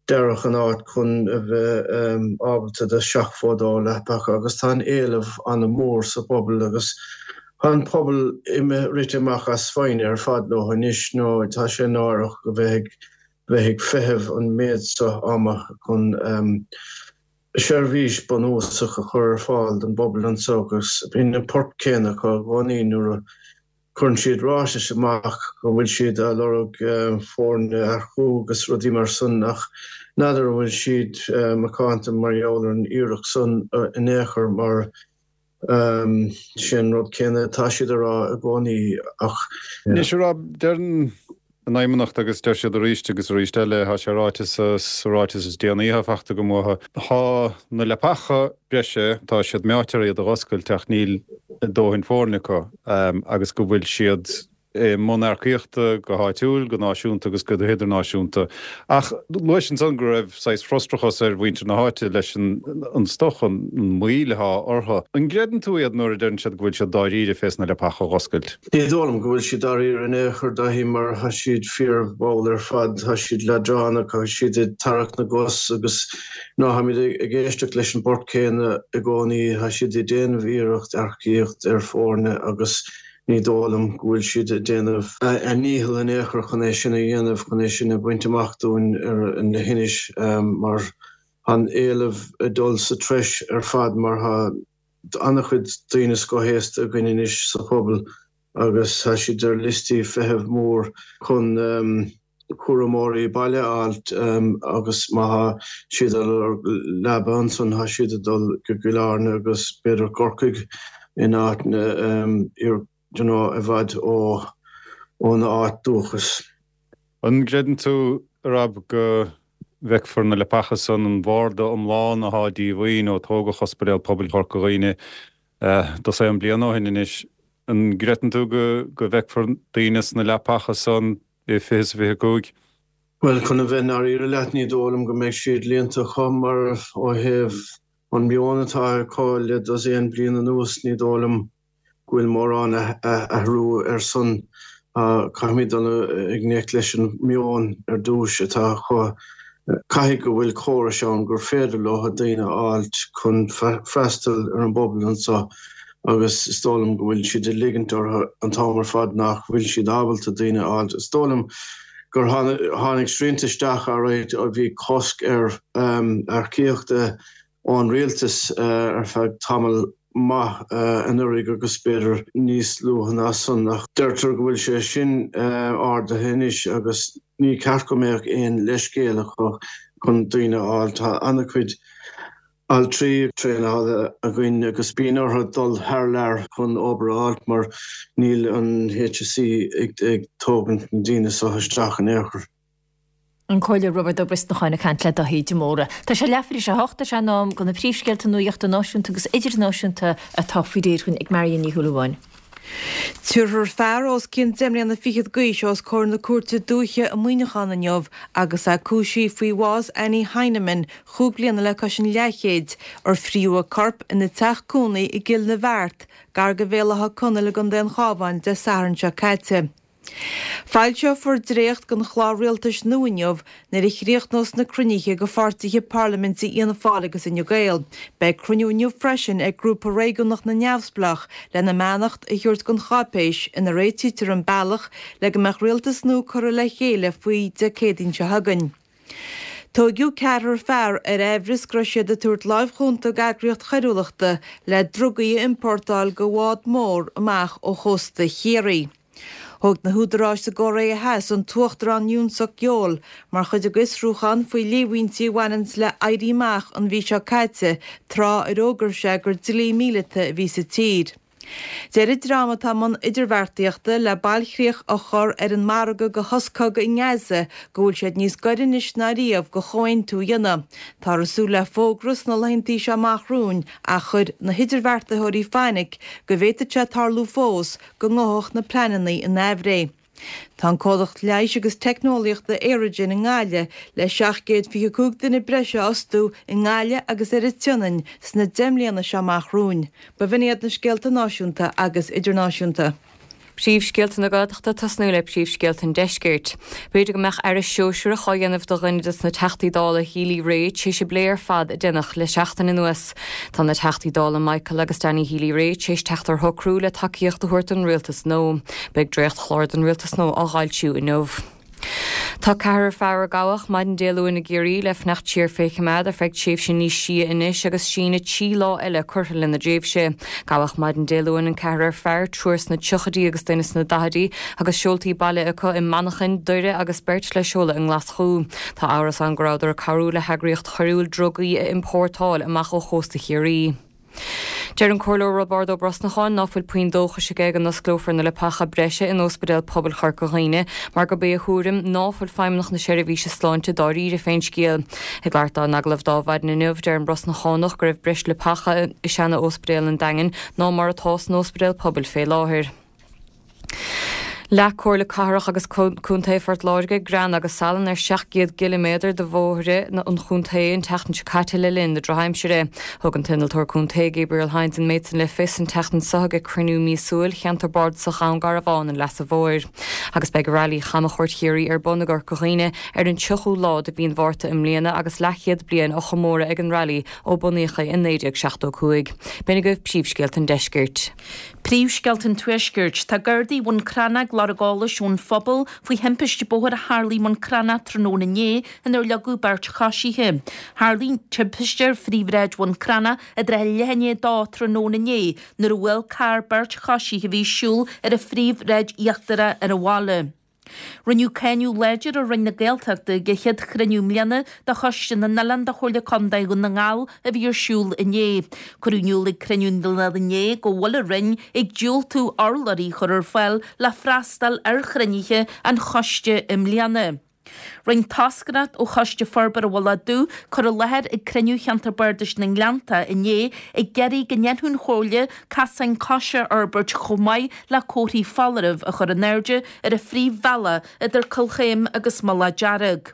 dearadh an áit chun a bheith ábalta do 72 leapacha agus tá an éileamh an-mhór sa bpobal agus tá an pobal imithe rite amach as foighne ar fad leo anois nó tá sé náireach a bheith ag bheith ag feitheamh an méid seo ama chun seirbhís bunúsach a chur ar fáil don bpobal anseo agus bíonn an port céanna acu i gcónaí nuair a Cuireann siad ráitis amach go bhfuil siad ag lorg foirne a earcú agus rudaí mar san ach n'fheadar an bhfuil siad macánta mar gheall ar an iarracht san in aon chor mar sin rud céanna atá siad a rá i gcónaí ach Anois a Rob, deireann an Fheidhmeannacht agus deir siad arís agus arís eile, tá sé ráite sa ráiteas is déanaí atá fachta agam uathu, tá na leapacha breise, tá siad meáite ar iad a dh'oscailt ach níl dóthain foirne acu agus go bhfuil siad i mbun earcaíochta go háitiúil, go náisiúnta agus go hidirnáisiúnta. Ach luais ansan go raibh saghas frustrachas ar mhuintir na háite leis an stoc, an mhoill atá orthu. An gcreideann tú iad nuair a deireann siad go bhfuil siad dáiríre fés na leapacha a dh'oscailt? Ní dóigh liom go bhfuil siad dáiríre in aon chor, Dáithí, mar tá siad fíormhall ar fad, tá siad leadránach, tá siad ag tarrac na gcos agus ná táimid ag éisteacht leis an bport céanna i gcónaí, tá siad ag déanamh iarracht earcaíocht ar foirne agus ní dóigh liom go bhfuil siad ag déanamh a ndícheall in aon chor chun é sin a dhéanamh, chun é sin a bhaint amach dúinn ar na hInis mar tá an éileamh ag dul sa treis ar fad mar tá an-chuid daoine scothaosta againn anois sa phobal. agus tá siad ar liostaí feithimh mór chun cúramóirí baile a fháilt agus má thá siad ag lorg leaba ansan thá siad ag dul go Cill Airne agus b'fhéidir Corcaigh in áiteanna you know i bhfad ó óna áit dúchas. An gcreideann tú, a Rob, go bhfeicfear na leapacha san, an bharda iomlán athá díomhaoin ó tógadh Ospidéal Pobail Chorca Dhuibhne dosaen bliain ó shin anois, an gcreideann tú go bhfeicfear daoine sna leapacha san i 2025? Bhuel, chun a bheith i ndáiríre leat, ní dóigh liom go mbeidh siad líonta acu mar ó thaobh an meon atá acu le dosaen bliain anuas, ní dóigh liom go bhfuil mórán athrú ar san. Caithfimid dul i ngleic leis an meon ar dtús atá acu. Caithfidh go bhfuil córais ann gur féidir leo daoine a fháilt chun freastal ar an bpobal anseo agus is dóigh liom go bhfuil siad ag ligint orthu an t-am ar fad nach bhfuil siad ábalta daoine a fháilt. Is dóigh liom gur tháinig srianta isteach alright, bhí cosc ar earcaíochta ón rialtas ar feadh tamall maith anuraidh agus b'fhéidir níos luaithe ná san ach deirtear go bhfuil sé sin ardaithe anois agus ní ceart go mbeadh aon leithscéal acu chun daoine a fháil. Tá an-chuid altraí traenáilte againn agus bíonn orthu dul thar lear chun obair a fháilt mar níl an HSE ag tógaint na ndaoine seo isteach in aon chor. An Comhairleoir Roibeard Ó Brosnacháin ag caint le Daithí de Mórdha. Tá sé leathuair tar éis a 8, tá sé in am do na príomhscéalta nuachta náisiúnta agus idirnáisiúnta atá faoi réir againn ag Marion Ní Shúilleabháin. Tabharfar fear os cionn deich mbliana fichead d'aois os comhair na Cúirte Dúiche i Muineachán inniu agus é cúisithe faoi bhás Annie Heineman, chúig bliana le cois an leathchéid, ar fríodh a corp ina teach cónaí i gCill na Bheart, gar do Bhéal Átha Conaill i gContae an Chabháin, Dé Sathairn seo caite. Foilseofar dréacht den chlár rialtais nua inniu nuair a chríochnós na cruinnithe de pháirtithe parlaiminte Fhianna Fáil agus Fhine Gael. Beidh cruinniú inniu freisin ag Grúpa Réigiúnach na Neamhspleách lena mbeannacht a thabhairt don cháipéis ina réitítear an bealach le go mbeadh rialtas nua curtha le chéile faoi Dé Céadaoin seo chugainn. Tóigeadh ceathrar fear ar aimhreas go raibh siad ag tabhairt láimh chúnta d'eagraíocht choiriúlachta le drugaí a iompórtáil de bhád mór amach ó chósta Chiarraí. Thóg na húdaráis sa gCóiré Theas an tUachtarán Yoon Suk Yeol mar chuid de fhiosrúchán faoi líomhaintí a bhaineanns le éirí amach an mhí seo caite tráth ar fhógair sé gur dlí míleata a bhí sa tír. Deir an dream atá i mbun idirbheartaíochta le bailchríoch a chur ar an margadh do shos cogaidh i nGaza go bhfuil siad níos gaire anois ná riamh do chomhaontú a dhéanamh. Táthar ag súil le fógra sna laethantaí seo amach romhainn ach chuir na hidirbheartaitheoirí fainic go bhféadfadh sé tarlú fós go ngabhfadh na pleananna in aimhréidh. Tá an comhlacht leighis agus teicneolaíochta Aerogen i nGaillimh le 725 duine breise a fhostú i nGaillimh agus ar an tSionainn sna 10 mbliana seo amach romhainn. B'in iad na scéalta náisiúnta agus idirnáisiúnta. Príomhscéalta na Gaeltachta Tosnú le príomhscéalta an Deiscirt. B'fhéidir go mbeadh aire sóisearach á dhéanamh de dhuine des na Teachtaí Dála Healy-Rae tar éis an bplé ar fad a deineadh le seachtain anuas. Tá na Teachtaí Dála Michael agus Danny Healy-Rae tar éis teacht ar shocrú le tacaíocht a thabhairt don rialtas nua. Beidh dréachtchlár don rialtas nua á fhoilsiú inniu. Tá ceathrar fear a gabhadh maidin Dé Luain i gCiarraí le fanacht siar fé choimeád ar feadh tréimhse níos sia anois agus síneadh 3 lá eile curtha lena dtréimhse. Gabhadh maidin Dé Luain an ceathrar fear, triúr sna tríochaidí agus duine sna daichidí, agus seoltaí baile acu i Manchain, Doire agus beirt le seoladh i nGlaschú. Tá amhras ann go rabhadar ag cabhrú le heagraíocht choiriúil drugaí a iompórtáil amach ó chósta Chiarraí. Deir an Comhairleoir Roibeárd Ó Brosnacháin ná fuil puinn dóchais aige go n-osclófar na leapacha breise in Óspidéal Pobail Chorca Dhuibhne mar gurb é a thuairim ná fuil Feidhmeannacht na Seirbhíse Sláinte dáiríre fén scéal. Ag labhairt dó in agallamh d'Adhmhaidin inniu, deir an Brosnachánach go raibh breis leapacha i seana-óspidéal an Daingin ná mar atá san Óspidéal Pobail fé láthair. Leath Comhairle Cathrach agus Contae Phort Láirge grean agus salann ar 700 gciliméadar de bhóithre an chontae an tseachtain seo caite le linn na drochaimsire. Thug an t-innealtóir contae Gabriel Hynes an méid san le fios an tseachtain seo ag cruinniú míosúil Cheantar Bardasach Dhún Garbhán an Leasa Mhóir. Agus beidh Railí Chamchuairt Chiarraí ar bun i gCorca Dhuibhne ar an 30ú lá de mhí an Mhárta i mbliana agus leathchéad bliain á chomóradh ag an Railí ó bunaíodh é i 1975. B'in agaibh príomhscéalta an deiscirt. Príomhscéalta an Tuaiscirt. Tá Gardaí Bhun Cranncha ag lorg eolais ón phobal faoi thimpiste bóthair a tharlaigh i mBun Cranncha tráthnóna inné inar leagadh beirt choisithe. Tharlaigh an timpiste ar phríomhshráid Bhun Cranncha i dtrátha leath i ndiaidh a dó tráthnóna inné nuair a bhuail carr beirt choisithe a bhí ag siúl ar an phríomhshráid íochtarach ar an bhaile. Rinneadh cáineadh láidir ar Roinn na Gaeltachta ag a chéad chruinniú i mbliana de Choiste na nOileán de Chomhairle Contae Dhún na nGall a bhí ar siúl inné. Cuireadh in iúl ag cruinniú an lae inné go bhfuil an Roinn ag diúltú urlabhraí a chur ar fáil le freastal ar chruinnithe an choiste i mbliana. Rinne toscaireacht ó Choiste Forbartha Mhullach Dubh cur i láthair ag cruinniú Cheantar Bardais na nGleannta inné ag iarraidh go ndéanfadh an Chomhairle casáin coise a fhorbairt chomh maith le comharthaí foláirimh a chur in airde ar an phríomhbhealach idir Cill Chaoim agus Mullach Dearg.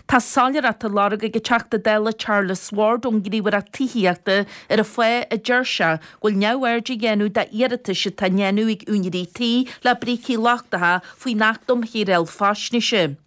Tá soiléireacht á lorg ag an Teachta Dála Charles Ward ón nGníomhaireacht Tithíochta ar an fáth a deir sé go bhfuil neamhaird á dhéanamh d'iarratais atá á ndéanamh ag úinéirí tí le brící lochtacha faoin Acht um Shaoráil Faisnéise.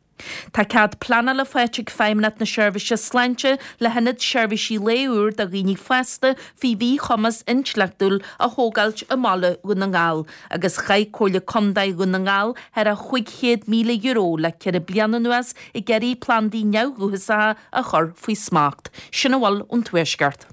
Tá cead pleanála faighte ag Feidhmeannacht na Seirbhíse Sláinte le hIonad Seirbhísí Lae úr do dhaoine fásta faoi mhíchumas intleachtúil a thógáilt i mbaile Dhún na nGall agus chaith Comhairle Contae Dhún na nGall thar a €500,000 le ceithre bliana anuas ag iarraidh plandaí neamhdhúchasacha a chur faoi smacht. Sin a bhfuil ón Tuaisceart.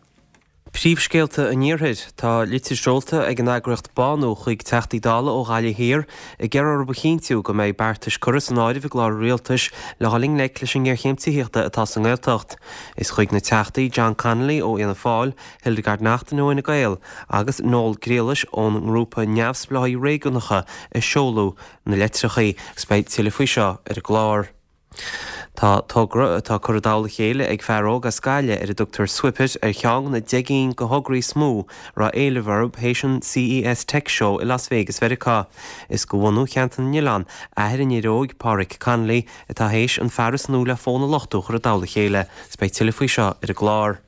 Príomhscéalta an Iarthair. Tá litir seolta ag an eagraíocht Bánú chuig Teachtaí Dála ó Ghaillimh Thiar ag iarraidh orthu a chinntiú go mbeidh beartais curtha san áireamh i gclár an Rialtais le dhul i ngleic leis an ngéarchéim tithíochta atá sa nGaeltacht. Is chuig na Teachtaí John Connolly ó Fhianna Fáil, Hildegarde Naughton ó Fhine Gael agus Noel Griallais ón ngrúpa Neamhspleáigh Réigiúnacha a seoladh na litreacha agus beidh tuilleadh faoi seo ar an gclár. Tá togra atá curtha i dtoll a chéile ag fear óg as Gaillimh ar a dtugtar Swipit ar cheann de na 10 gcinn de thograí is mó a raibh éileamh orthu théis an CES Tech Show i Las Vegas Mheiriceá. Is de bhunú Cheantar na nOileán, athair an fhir óig, Páraic Connolly, atá théis an fearas nua le fón a luchtú a chur i dtoll a chéile. Is beidh tuilleadh faoi seo ar an gclár.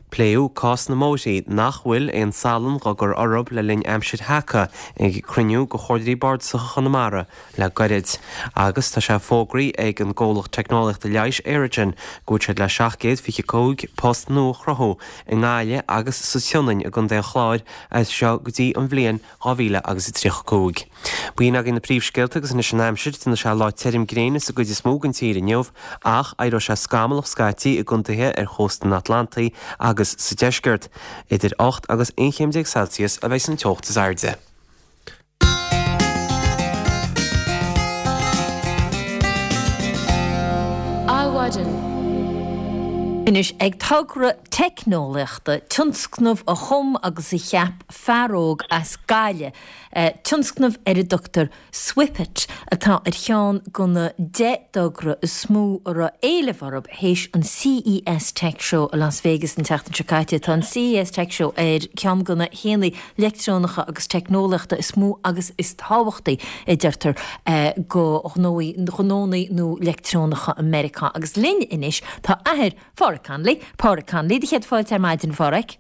Pléadh cás na mbóithrí nach bhfuil aon salann dhá gcur orthu le linn aimsir sheaca ag cruinniú de Chomhairleoirí Bardasacha Chonamara le gairid. Agus tá sé fógraithe ag an gcomhlacht teicneolaíochta leighis Aerogen go bhfuil siad le 725 post nua a chruthú i nGaillimh agus sa tSionainn i gContae an Chláir as seo go dtí an bhliain 2000 agus 35. B'in agaibh na príomhscéalta agus anois an aimsir, déanfaidh sé lá tirim gréine sa gcuid is mó den tír inniu ach éireoidh sé scamallach scaití i gcontaetha ar chósta an Atlantaigh agus sa deisceart. Idir 18 agus 11 chéim Celsius a bheidh an teocht is airde. Adhmhaidin. Anois ag togra teicneolaíochta, tionscnamh a chum agus a cheap fear óg as Gaillimh, tionscnamh ar a dtugtar Swipit, atá ar cheann de na 10 dtogra is mó a raibh éileamh orthu théis an CES Tech Show i Las Vegas an tseachtain seo caite. Tá an CES Tech Show ar cheann de na haonaigh leictreonacha agus teicneolaíochta is mó agus is tábhachtaí, a deirtear, do ghnónna nó leictreonacha i Meiriceá. Agus linn anois tá athair Pháraic Connolly, Páraic Connolly, do chéad fáilte ar maidin, a Pháraic.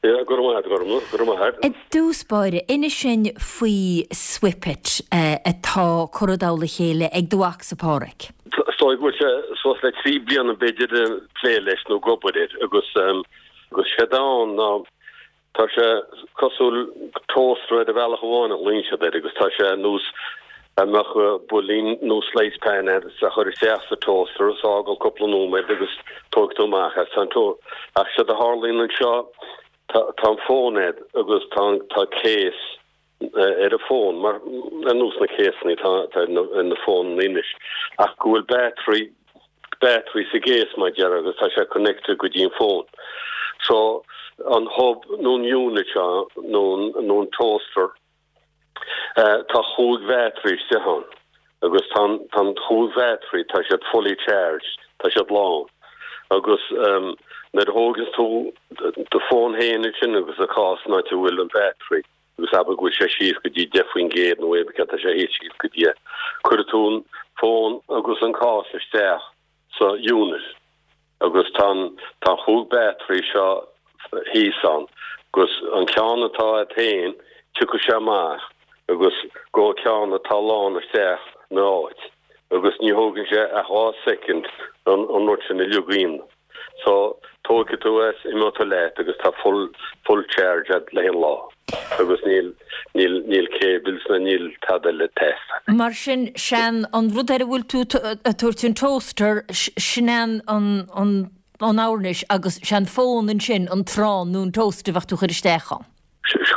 Yeah, go raibh maith agat, a Ghormfhlaith, go raibh maith agat. I dtús báire, inis dúinn faoi Swipit atá curtha i dtoll a chéile ag do mhacsa Páraic. Is dóigh go bhfuil sé suas le 3 bliana b'fhéidir ag plé leis nó ag obair air agus agus séard atá ann ná tá sé cosúil toaster ar bhealach amháin a ghlaonn siad air agus tá sé ar nós dá mbeadh builín nó slice pan agat is a chur isteach sa toaster is a fhágáil cúpla nóiméad agus tógfaidh tú amach é. Tá an to ach séard a tharlaíonn anseo tá tá an fón agat agus tá an tá case ar an fón mar ar nós na céasanna atá atá ar na ar na fónanna anois ach go bhfuil battery battery sa gcase mar a déarfá agus tá sé connected go dtí an fón. So an hub nó an unit seo nó an nó an toaster Tá chúig bhattery istigh ann agus tá an chúig bhattery, tá siad fully charged, tá siad lán. Agus nuair a thóigeanns tú do fón féin ansin agus an cás an áit a bhfuil an battery agus abair go bhfuil sé síos go dtí 10% nó aon céard tá sé thíos síos go dtí é, cuirfidh tú an fón agus an cás isteach sa unit agus tá an tá an chúig battery seo thíos ann agus an ceann atá agat féin tiocfaidh sé amach. agus gabhfaidh ceann atá lán isteach ina áit agus ní thógann sé ach 2 soicind an an rud sin a leagan. So tógfaidh tú é is imeoidh tú leat agus tá full full charge agat le haghaidh an lá agus níl níl níl cables ná níl tada eile ag teastáil. Mar sin sé'n an rud ar a bhfuil tú ag tabhairt an toaster sin an an an an fhoirnéis agus sé'n fón ansin an t-arán nó an toast a bheadh tú a chur isteach ann.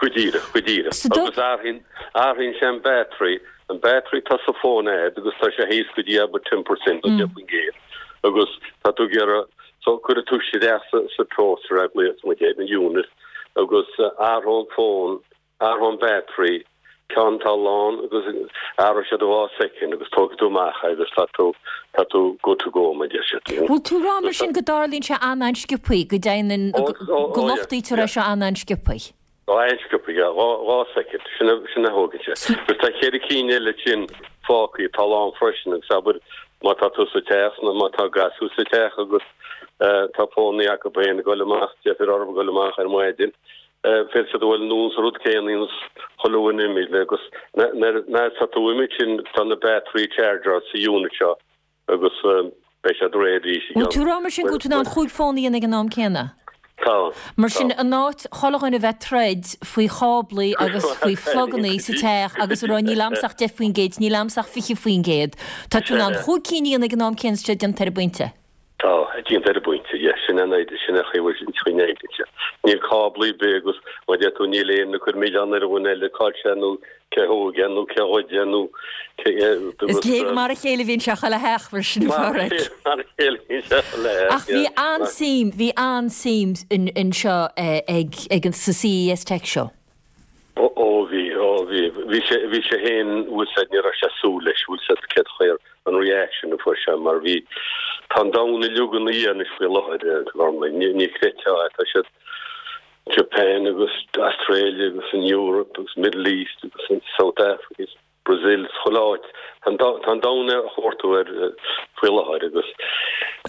Go díreach, go díreach. Agus athraíonn, athraíonn sé an battery, an battery tá sa fón a'd agus tá sé thíos go dtí abair 10% nó 10% agus tá tú ag iarraidh, so cuirfidh tú isteach sa, sa toaster é, gléas muid é, an unit, agus athróidh an fón, athróidh an battery, ceann atá lán agus athróidh siad i 2 soicind agus tógfaidh tú amach é agus tá tú, tá tú good to go mar a deir siad. Bhfuil tú ag rá mar sin go dtarlaíonn sé an-an-sciobthaí, go dtéann, go luchtaítear é seo an-an-sciobthaí? Ó an-sciobthaí, yeah, 2 soicind, sin a, sin a thógann sé. Agus tá cheithre cinn eile sin fágtha atá lán freisin agus abair má tá tú sa teach nó má tá gasúir sa teach agus tá fónaí acu féin ag dul amach, deifir orthu ag dul amach ar maidin, Féadfaidh siad a dhul anonn sa rud céanna ionas chuile dhuine imithe agus nuair atá tú imithe sin tá na battery charger sa unit seo agus beidh siad réidh arís i gceann. Bhfuil tú ag rá mar sin go bhfuil tú in ann chúig fón a dhéanamh ag an am céanna? Tá. Mar sin in áit chuile dhuine a bheith ag troid faoi cháblaí agus faoi phlugannaí sa teach agus a rá níl a'msa ach 10%, níl a'msa ach 20%, tá tú in ann chúig cinn a dhéanamh ag an am céanna is sé déanta ar an bpointe. Tá, déanta ar an bpointe, yeah, sin an idea, sin an chaoi a bhfuil an chaoi n-oibríonn sé. Níl cáblaí ar bith agus má deir tú níl aon ag cur milleán ar an dhuine eile cá bhfuil sé nó cé thóg é nó cé ghoid é nó cé agus. Is léir mar a chéile a bhíonn sé chuile theach mar sin a Phádraig. Mar a chéile a bhíonn sé chuile theach, Ach bhí an-suim, bhí an-suim anseo ag, ag an, sa CES Tech Show. Ó bhí, ó bhí. Bhí sé, bhí sé féin, bhfuil 's a'd, ní raibh sé ag súil leis, bhfuil 's a'd céard chaoi ar an reaction a fuair sé mar bhí, tá an domhan uilig ina dhiaidh anois faoi láthair, a Ghormlaith, ní, ní chreidfeá é, tá siad, Japan agus Australia agus an Europe agus Middle East agus an South Africa. Brazil, chuile áit. Tá an domhan á chuartú air faoi láthair agus.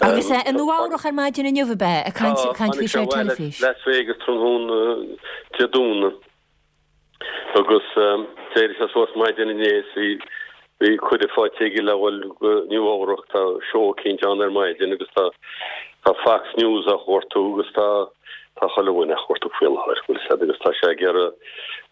Agus é i Nua Eabhrach ar maidin inniu, ab ea? Ag caint faoi seo ar teilifís. Las Vegas tráthnóna Dé Domhnaigh agus d'éirigh sé suas maidin inné is bhí bhí cuireadh faighte aige le dhul go Nua Eabhrach. Tá seó eicínt ann ar maidin agus tá tá Fox News á chuartú agus tá tá chuile dhuine á chuartú faoi láthair, bhfuil 's a'd, agus tá sé ag iarraidh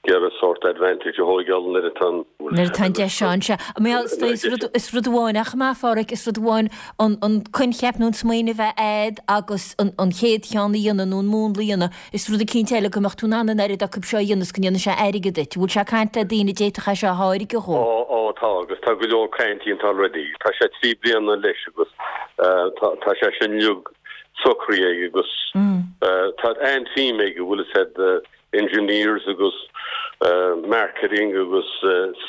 iarraidh sórt advantage a thóigeáil nuair atá an. Nuair atá an deis ann, sea. Bhuel, is rud, is rud amháin, ach maith, a Pháraic, is rud amháin an, an coincheap nó an smaoineamh a bheith a'd agus an, an chéad cheann a dhéanamh nó an múnla a dhéanamh, is rud eicínt eile go mbeadh tú in ann an oiread acu seo a dhéanamh is go ndéanfaidh sé airgead duit. Bhfuil sé ag caint le daoine a d'fhéadfadh é seo a tháirgeadh dhó? Ó, ó, tá, agus tá go leor caint déanta already. Tá sé trí bliana leis agus tá, tá sé sin uilig socraithe aige agus tá an-team aige, bhfuil 'fhios a'd, engineers agus marketing agus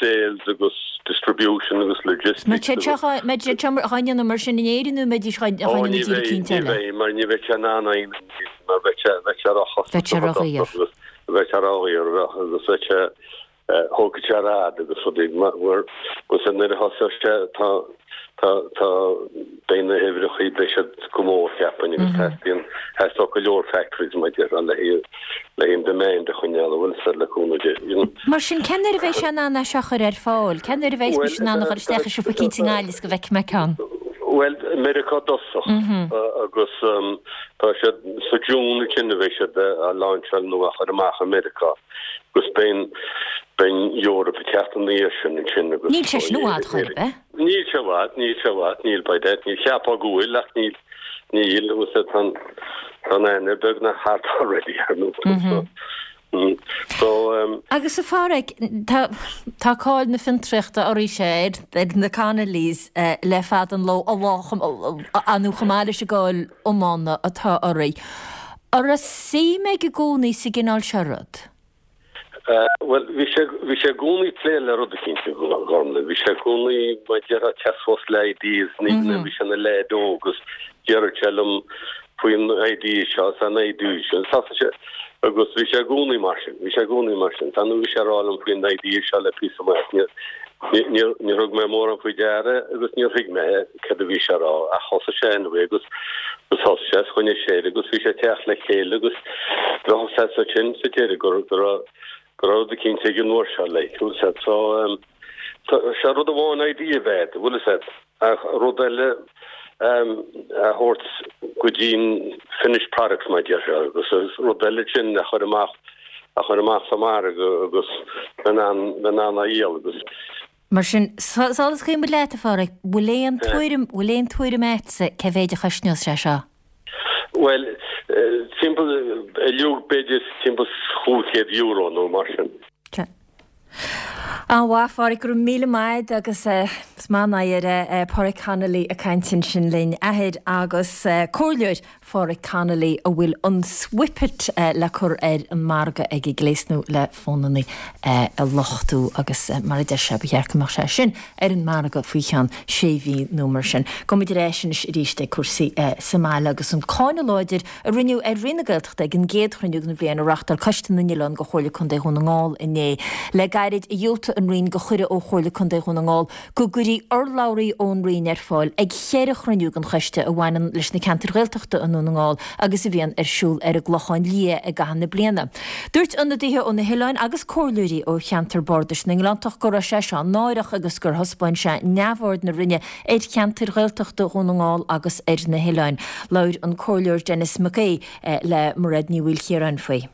sales agus distribution agus logistics agus. Mbeidh siad seo á ndéanamh mar sin in Éirinn nó mbeidís á ndéanamh i dtír eicínt eile? Ní bheidh, mar ní bheidh sé in ann aon mar bheidh sé bheidh sé róchostasach. Bheadh sé ródhaor. Bheadh sé ródhaor agus bheadh sé Thógfadh sé ar fhad agus rudaí mar agus nuair a thosóidh sé tá tá tá beidh na huimhreacha beidh siad go mór cheapfainn agus teastaíonn theastódh go leor factories mar a déarfá le haghaidh le haghaidh an demand a choinneáil an bhfuil 'fhios a'd le cúnamh Dé you know. Mar sin cén uair a bheidh sé in ann é seo a chur ar fáil? Cén uair a bheidh mise in ann a dhul isteach i siopa eicínt i nGaillimh is go bhfeicfidh mé ceann? Bhuel, Meiriceá i dtosach agus tá siad sa June ansin a bheidh siad á lainseáil nó á chur amach i Meiriceá. Agus beidh an Eoraip ag teacht ina dhiaidh sin ansin agus. Níl sé sin i bhfad chor ar bith. Níl sé i bhfad, níl sé i bhfad, níl by that, ní cheapfá go bhfuil ach níl, níl, agus tá an, tá an Eanáir beagnach thart already ar ndóigh so, so. Agus a Pháraic, tá, tá cáil na fiontraíochta oraibhse ar, ar na Connollys le fada an ló, a lá, nó chomh maith leis an gcáil iomána atá oraibh. An raibh suim aige i gcónaí sa gcineál seo rud? Bhuel, bhí sé, bhí sé i gcónaí ag plé le rud eicínt, a Ghormlaith. Bhí sé i gcónaí, mar a déarfá, ag teacht suas le ideas, ní nuair a bhí sé ina leaid óg agus déarfadh sé liom faoin idea seo is an idea sin. Thosaigh sé, agus bhí sé i gcónaí mar sin, bhí sé i gcónaí mar sin. Tá nó bhí sé ag rá liom faoin idea seo le píosa maith, níor, níor, níor thug mé mórán faoi deara agus níor thuig mé céard a bhí sé a rá ach thosaigh sé anyway agus agus thosaigh sé is choinnigh sé air agus bhí sé ag teacht le chéile agus bheadh sé ansin sa deireadh go go raibh. Go raibh rud eicínt ag an uair seo like, bhfuil 'fhios a'd. So ehm sé rud amháin idea a bheith a'd, bhfuil 'fhios a'd, ach rud eile ehm a thabhairt go dtí'n finished product mar a déarfá agus rud eile sin a chur amach a chur amach sa margadh agus bheith in ann bheith in ann a dhíol agus. Mar sin, sula scaoilfidh muid leat, a Pháraic, bhfuil aon tuairim, bhfuil aon tuairim a'dsa cé mhéid a chosnós sé seo? Bhuel, timpeall, uilig b'fhéidir timpeall €500 nó mar sin. Sea. An-mhaith, a Pháraic, go raibh míle maith a'd agus is maith an oidhre é Páraic Connolly ag caint ansin linn, athair agus comhairleoir Pháraic Connolly a bhfuil an Swipit le cur ar an margadh aige, gléas nua le fónannaí a luchtú agus mar a deir sé ba cheart go mbeadh sé sin ar an margadh faoi cheann sé mhí nó mar sin. Gabhfaidh muid ar ais anois arís ag cúrsaí sa mbaile agus an cáineadh láidir a rinneadh ar Roinn na Gaeltachta ag an gcéad chruinniú den bhliain a reáchtáil Coiste na nOileán de Chomhairle Contae Dhún na nGall inné. Le gairid a dhiúltaigh an Roinn do chuireadh ó Chomhairle Contae Dhún na nGall go gcuirfí urlabhraí ón Roinn ar fáil ag cheithre chruinniú den choiste a bhaineann leis na ceantair Ghaeltachta i nDún na nGall agus a bhíonn ar siúl ar an gClochán Liath i gcaitheamh na bliana. Dúirt ionadaithe ó na hoileáin agus comhairleoirí ó cheantar bardais na nGleanntach go raibh sé seo náireach agus gur thaispeáin sé neamhaird na Roinne ar cheantair Ghaeltachta Dhún na nGall agus ar na hoileáin. Labhair an Comhairleoir Denis Mac Aoidh le Mairéad Ní Mhaoilchiaráin faoi.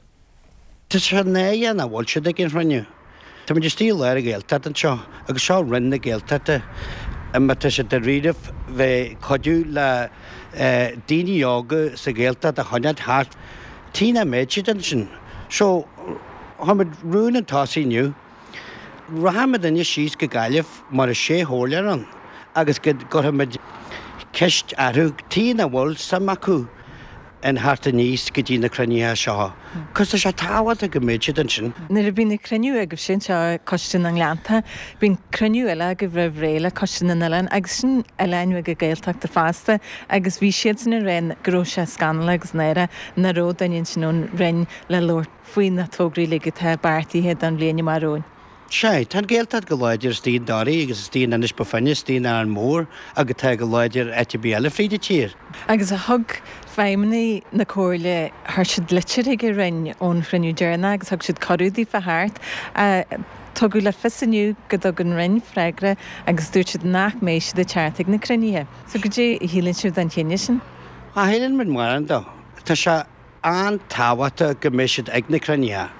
Tá sé náireach nach bhfuil siad ag an chruinniú. Tá muid istigh i lár an Ghaeltacht anseo agus seo Roinn na Gaeltachta. Má tá siad dáiríribh bheith cuidiú le daoine óga sa Ghaeltacht a choinneáil thart, tuige nach mbeidh siad ansin. So, chuir muid rún chun tosaigh inniu. Rachaimid inniu síos go Gaillimh mar is sé chomhairleoir ann agus go gcuirfimid ceist orthu tuige nach bhfuil suim acu in theacht aníos go dtí na cruinnithe seo. Cos tá sé tábhachtach go mbeidh siad ansin. Nuair a bhíonn na cruinniú agaibh sin seo Coiste na nGleannta, bíonn cruinniú eile agaibh roimh ré le Coiste na nOileán agus sin oileáin bheaga Gaeltachta fosta agus bhí siadsan ag rá go raibh sé scannalach agus náireach nach raibh duine ansin ón Roinn le labhairt faoi na tograí uilig atá beartaithe don bhliain amach romhainn. Sea, tá an Ghaeltacht go láidir istigh i nDoirí agus istigh in Inis Bó Finne, istigh in Árainn Mhór agus tá go láidir áit ar bith eile fríd an tír. Agus thug feidhmeannaigh na Comhairle, chuir siad litir chuig an Roinn ón chruinniú deireanach agus thug siad cuireadh daofa theacht. Tugadh le fios inniu go dtug an Roinn freagra agus dúirt siad nach mbeidh siad ag teacht ag na cruinnithe. So goidé a shíleann sibh den chinneadh sin? Cha shíleann muid mórán dó. Tá sé an-tábhachtach go mbeidh siad ag na cruinnithe.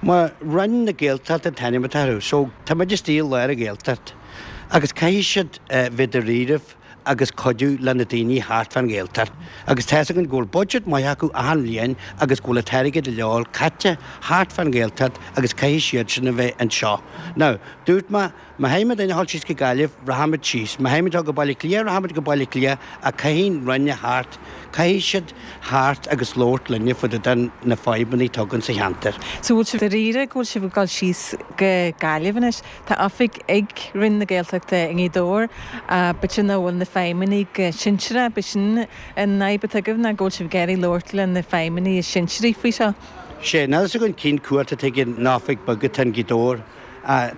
Mar Roinn na Gaeltachta an t-ainm atá orthu, so tá muid istigh i lár an Ghaeltacht agus caithfidh siad bheith dáiríribh agus cuidiú le na daoine thart fán Ghaeltacht. Agus tá's againn go bhfuil budget maith acu achan bhliain agus go bhfuil an t-airgead go leor caite thart fán Ghaeltacht agus caithfidh siad sin a bheith anseo. Now, dúirt mé, Má chaithfimid a dhul síos go Gaillimh, rachaimid síos. Má chaithfimid dul go Baile Átha Cliath, rachaimid go Baile Átha Cliath, ach caithfidh an Roinn a theacht, caithfidh siad theacht agus labhairt linne fá dtaobh de na fadhbanna atá againn sa cheantar. So bhfuil sibh dáiríre go bhfuil sibh ag dul síos go Gaillimh anois? Tá oifig ag Roinn na Gaeltachta i nGaoth Dobhair, b'fhéidir nach bhfuil na feidhmeannaigh go sinsearach, b'shin an fhadhb atá agaibh ná go bhfuil sibh ag iarraidh labhairt le na feidhmeannaigh is sinsearaí faoi seo? Sea, níl fhios againn cén cumhacht atá ag an oifig beag atá in Gaoth Dobhair.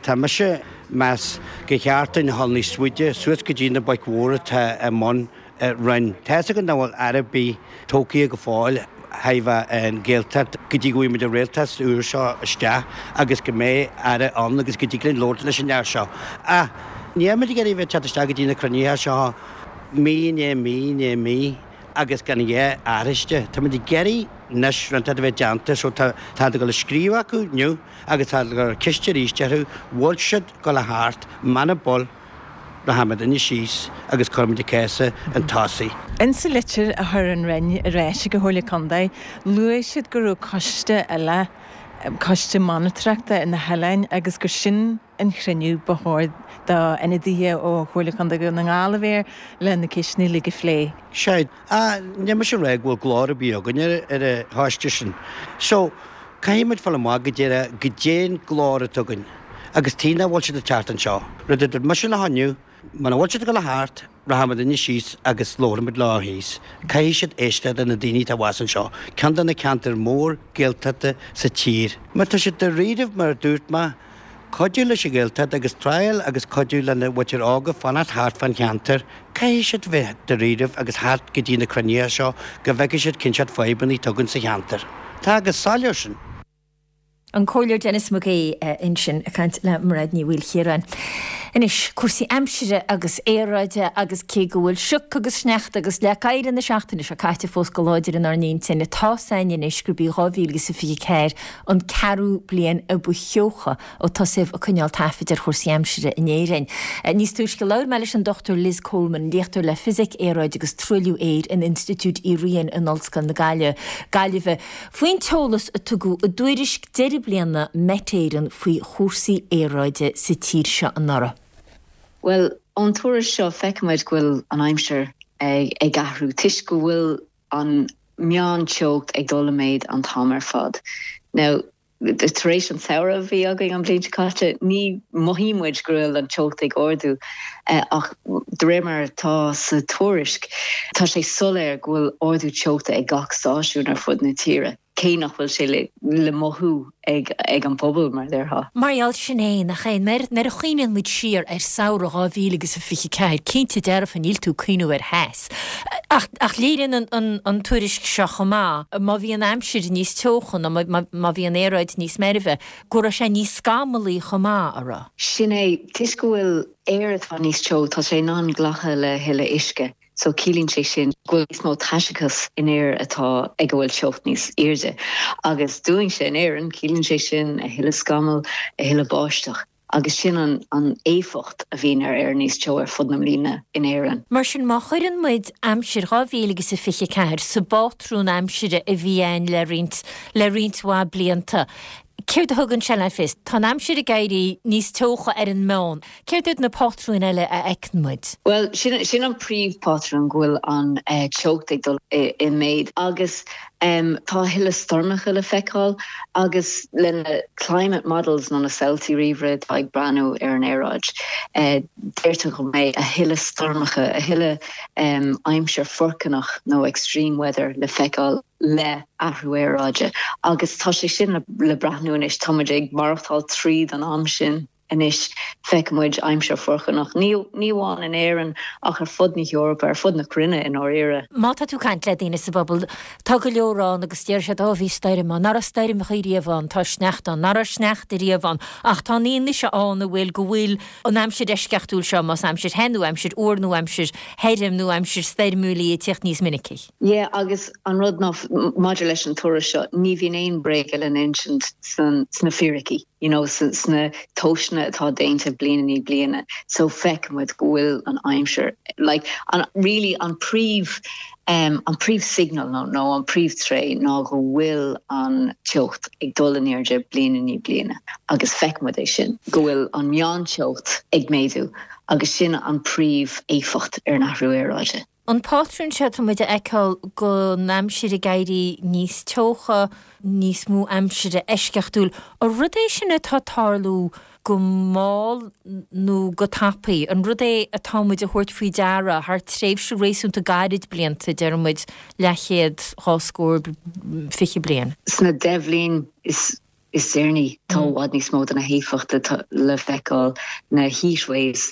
Tá mise ag meas gur cheart dúinn a dhul níos faide, suas go dtí na boic mhóra atá i mbun Roinn. Tá fhios againn nach bhfuil aire ar bith tógtha go fóill thaobh an Ghaeltacht go dtí go bhfaighidh muid an rialtas úr seo isteach agus go mbeidh aire ann agus go dtig linn labhairt leis an fhear seo. Ach níl muid ag iarraidh a bheith ag teacht isteach go dtí na cruinnithe seo mí i ndiaidh mí i ndiaidh mí agus gan a dhath athraithe. Tá muid ag iarraidh anois rud inteacht a bheith déanta so tá tá ag dul a scríobh acu inniu. Agus tá ag cur ceist arís orthu, bhfuil siad ag dul a theacht, muna bhfuil, rachaimidne síos agus cuirfimid an cás chun tosaigh. Insa litir a chuir an Roinn ar ais ag an Chomhairle Contae, luaigh siad go raibh coiste eile, coiste monatóireachta ar na hoileáin agus gur sin an chruinniú ba chóir do ionadaithe ó Chomhairle Contae Dhún na nGall a bheith air le na ceisteanna uilig a phlé. Sea, níl mise ag rá go bhfuil glór ar bith againn ar an choiste sin. So, caithfidh muid fáil amach go díreach goidé an glór atá againn agus tuige nach bhfuil siad ag teacht anseo. Rud a dúirt mise leo inniu, muna bhfuil siad ag dul a theacht, rachaimidne síos agus labharfaimid leo thíos. Caithfidh siad éisteacht le na daoine atá abhus anseo, ceann de na ceantair mór Gaeltachta sa tír. Má tá siad dáiríribh, mar a dúirt mé, cuidiú leis an Ghaeltacht agus triail agus cuidiú lena mhuintir óga fanacht thart fán cheantar. Caithfidh siad bheith dáiríribh agus theacht go dtí na cruinnithe seo go bhfeicfidh siad cén seort fadhbanna atá againn sa cheantar. Tá go soiléir sin. An Comhairleoir Denis Mac Aodha ansin ag caint le Mairéad Ní Mhaoilchiaráin. Anois, cúrsaí aimsire agus aeráide agus cé go bhfuil sioc agus sneachta agus leac oighir na seachtaine seo caite fós go láidir inár n-intinn, tá's againn anois gurb í 2024 an ceathrú bliain a ba theocha ó tosaíodh ag coinneáil taifid ar chúrsaí aimsire in Éirinn. Níos túisce labhair mé leis an Dr Liz Coleman, léachtóir le Fisic, Aeráid agus Truailliú Aeir in Institiúid Uí Riain in Ollscoil na Gaillimhe, faoin t-eolas a tugadh i dtuairisc deireadh bliana Met Éireann faoi chúrsaí aeráide sa tír seo anuraidh. Bhuel, ón tuairisc seo feicimid go bhfuil an aimsir ag athrú toisc go bhfuil an meán-teocht ag dul i méid an t-am ar fad. Now, tar éis an samhradh a bhí againn an bhliain seo caite, ní mhothaíonn muid go bhfuil an teocht ag ardú ach de réir mar atá sa tuairisc, tá sé soiléir go bhfuil ardú teochta ag gach stáisiún ar fud na tíre, cé nach bhfuil sé le mothú ag an bpobal, mar a déarfá. Mar gheall, sin é, nach é? Nuair a chuimhníonn muid siar ar samhradh 2024, cinnte dearfa níl tú ag cuimhniú ar theas. Ach, ach léiríonn an tuairisc seo chomh maith, má bhí an aimsir níos teocha nó má bhí an aeráid níos meirbhe, go raibh sé níos scamallaí chomh maith, a raibh? Sin é, toisc go bhfuil aer atá níos teo, tá sé in ann glacadh le thuilleadh uisce. So ciallaíonn sé sin go bhfuil níos mó taiseachas in aer atá ag a bhfuil teocht níos airde. Agus dúinnse in Éirinn, ciallaíonn sé sin a thuilleadh scamall, a thuilleadh báisteach. Agus sin an an éifeacht a bhíonn ar aer níos teo ar fud na mbliana in Éirinn. Mar sin, má chuireann muid aimsir 2024 sa bpátrún aimsire a bhí ann le roinnt le roinnt mhaith blianta, céard a thugann sé le fios? Tá an aimsir ag éirí níos teocha ar an meán. Céard iad na pátrúin eile a fheiceann muid? Bhuel, sin sin an príomhphátrún, go bhfuil an teocht ag dul i méid agus tá a thuilleadh stoirmeacha le feiceáil agus le na climate models nó na samhaltaí ríomhaire atá ag breathnú ar an aeráid, deirtear go mbeidh a thuilleadh stoirmeacha, a thuilleadh aimsir foircneach nó extreme weather le feiceáil le athrú aeráide agus tá sé sin le breathnú anois, tá muid ag maireachtáil tríd an am sin. Anois feicfidh muid aimsir foircneach, ní amháin in Éirinn ach ar fud na hEorpa, ar fud na cruinne i ndáiríre. Má tá tú ag caint le daoine sa bpobal, tá go leor ann agus deir siad, 'Ó, bhí stoirm ann, nach raibh stoirmeacha riamh ann, tá sneachta ann, nach raibh sneachta riamh ann. Ach tá an fhianaise ann an bhfuil, go bhfuil an aimsir eisceachtúil seo, más aimsir the nó aimsir fhuar nó aimsir thirim nó aimsir stoirmiúil í, ag tíocht níos minicí. Yeah, agus an rud ná, maidir leis an tuairisc seo, ní bhíonn aon bréaga le n-insint sna fíricí. you know sna tomhaiseanna atá déanta bliain i ndiaidh bliana so feiceann muid go bhfuil an aimsir like an really an príomh um an príomh signal nó nó an príomh tréith ná go bhfuil an teocht ag dul in airde bliain i ndiaidh bliana agus feiceann muid é sin go bhfuil an meánteocht ag méadú agus sin an príomh éifeacht ar an athrú aeráide. An pátrún seo atá muid a fheiceáil gon aimsir ag éirí níos teocha, níos mó aimsire eisceachtúil, an rud é sin atá ag tarlú go mall nó go tapaidh? An rud é atá muid a thabhairt faoi deara thar tréimhse réasúnta gairid blianta, deir muid leathchéad, dhá scór, 20 bliain? Sna 10 bhliain is deireanaí tá i bhfad níos mó de na héifeachtaí le feiceáil, na heat waves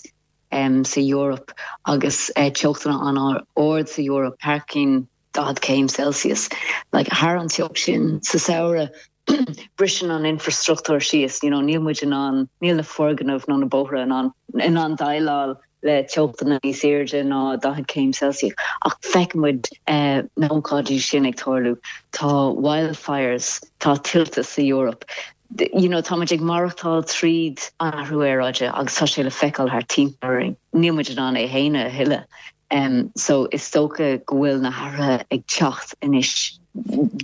sa Eoraip agus teochtanna an-ard sa Eoraip, thar cionn 40 céim Celsius. Like, thar an teocht sin sa samhradh, briseann an infreastruchtúr síos, you know, níl muid in ann, níl na foirgnimh nó na bóithre in ann, in ann déileáil le teochtanna níos airde ná 40 céim Celsius. Ach feiceann muid na hócáidí sin ag tarlú. Tá wildfires, tá tuilte sa Eoraip. You know, tá muid ag maireachtáil tríd an athrú aeráide agus tá sé le feiceáil thart timpeall orainn. Níl muid in ann é a shéanadh a thuilleadh. So is dócha go bhfuil na hathruithe ag teacht anois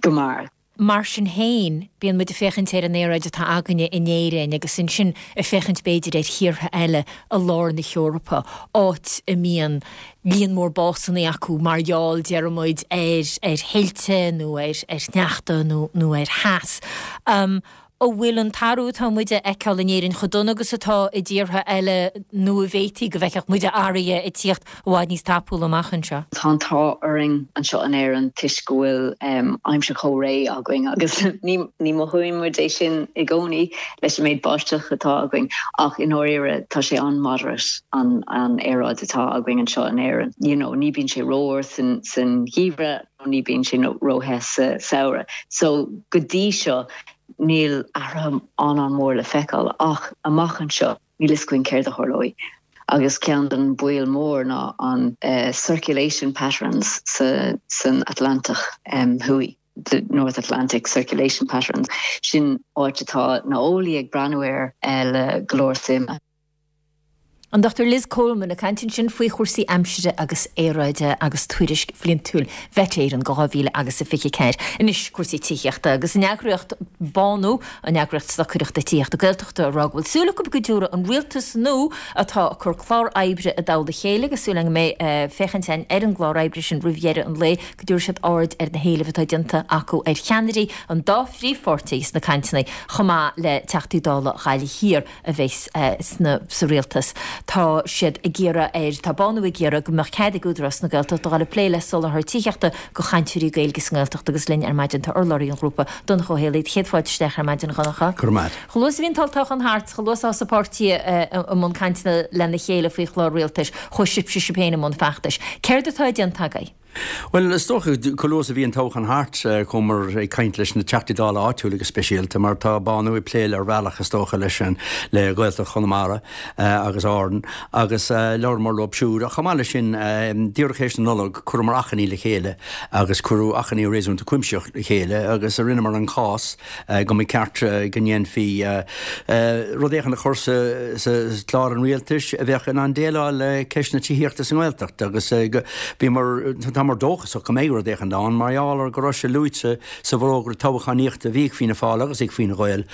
go mear. Mar sin féin, bíonn muid ag féachaint ar an aeráid atá againne in Éirinn agus ansin ag féachaint b'fhéidir ar thíortha eile i lár na hEorpa, áit a mbíonn líon mór básanna acu mar gheall, deir muid, ar ar thuilte nó ar ar shneachta nó nó ar theas. An bhfuil an t-athrú atá muid a fheiceáil in Éirinn chomh dona agus atá i dtíortha eile nó an bhféadfaí go bhfeicfeadh muid athruithe ag tíocht i bhfad níos tapúla amach anseo? Tá an t-ádh orainn anseo in Éirinn toisc go bhfuil aimsir chomh réidh againn agus ní ní mothaíonn muid é sin i gcónaí leis an méid báisteach atá againn ach i ndáiríre tá sé an-moderate. an an aeráid atá againn anseo in Éirinn. You know, ní bíonn sé rófhuar san san gheimhreadh nó ní bíonn sé ró-the sa samhradh. So go dtí seo. níl athruithe an-an-mhór le feiceáil ach amach anseo níl fhios againn céard a tharlóidh. Agus ceann den baol mór ná an circulation patterns san Atlantach Thuaidh, the North Atlantic circulation patterns, sin áit atá na eolaí ag breathnú air le go leor suime. An Dr Liz Coleman ag caint ansin faoi chúrsaí aimsire agus aeráide agus tuairisc bhliantúil Mhet Éireann do 2024. Anois cúrsaí tithíochta agus an eagraíocht Bánú, an eagraíocht stocaireachta tithíochta Gaeltachta ag rá go bhfuil súil acu go dtabharfaidh an rialtas nua atá ag cur clár oibre i dtoll a chéile agus súil againn go mbeidh féachaint againn ar an gclár oibre sin roimh dheireadh an lae go dtabharfaidh siad aird ar na héilimh atá déanta acu ar cheannairí an dá phríomhpháirtí sna cainteanna chomh maith le Teachtaí Dála Ghaillimh Thiar. a bheas sna sa rialtas. Tá siad ag iarraidh ar, tá Bánú ag iarraidh go mbeadh cead ag Údarás na Gaeltachta dul ag plé le soláthar tithíochta go chainteoirí Gaeilge sa nGaeltacht agus linn ar maidin tá urlabhraí an ghrúpa, Donncha Ó Héalaí. Céad fáilte isteach ar maidin, a Dhonncha. Go raibh maith agat. Chomh luath is a bhí an t-olltoghchán thart, chomh luath is a thosaigh páirtithe i mbun cainteanna lena chéile faoi chlár rialtais, chuaigh sibhse sibh féin i mbun feachtais. Céard atá déanta agaibh? Bhuel, is dócha, chomh luath is a bhí an toghchán thart, chuamar ag caint leis na Teachtaí Dála áitiúla go speisialta, mar tá Bánú ag plé le ar bhealach, is dócha, leis an, le Gaeltacht Chonamara agus Árann, agus labhramar leo siúd. Ach chomh maith leis sin, díreach théis na Nollag, chuireamar achainí le chéile agus cuireadh achainí réasúnta cuimsitheach le chéile agus rinneamar an cás, go mba cheart go ndéanfaí rud éicint a chur sa chlár an rialtais a bheadh in ann déileáil le ceist na tithíochta sa nGaeltacht agus bhíomar, táimid dóchasach go mbeidh rud éicint ann mar gheall ar go raibh sé luaite sa bhforógra toghchánaíochta a bhí ag Fianna Fáil agus ag Fine Gael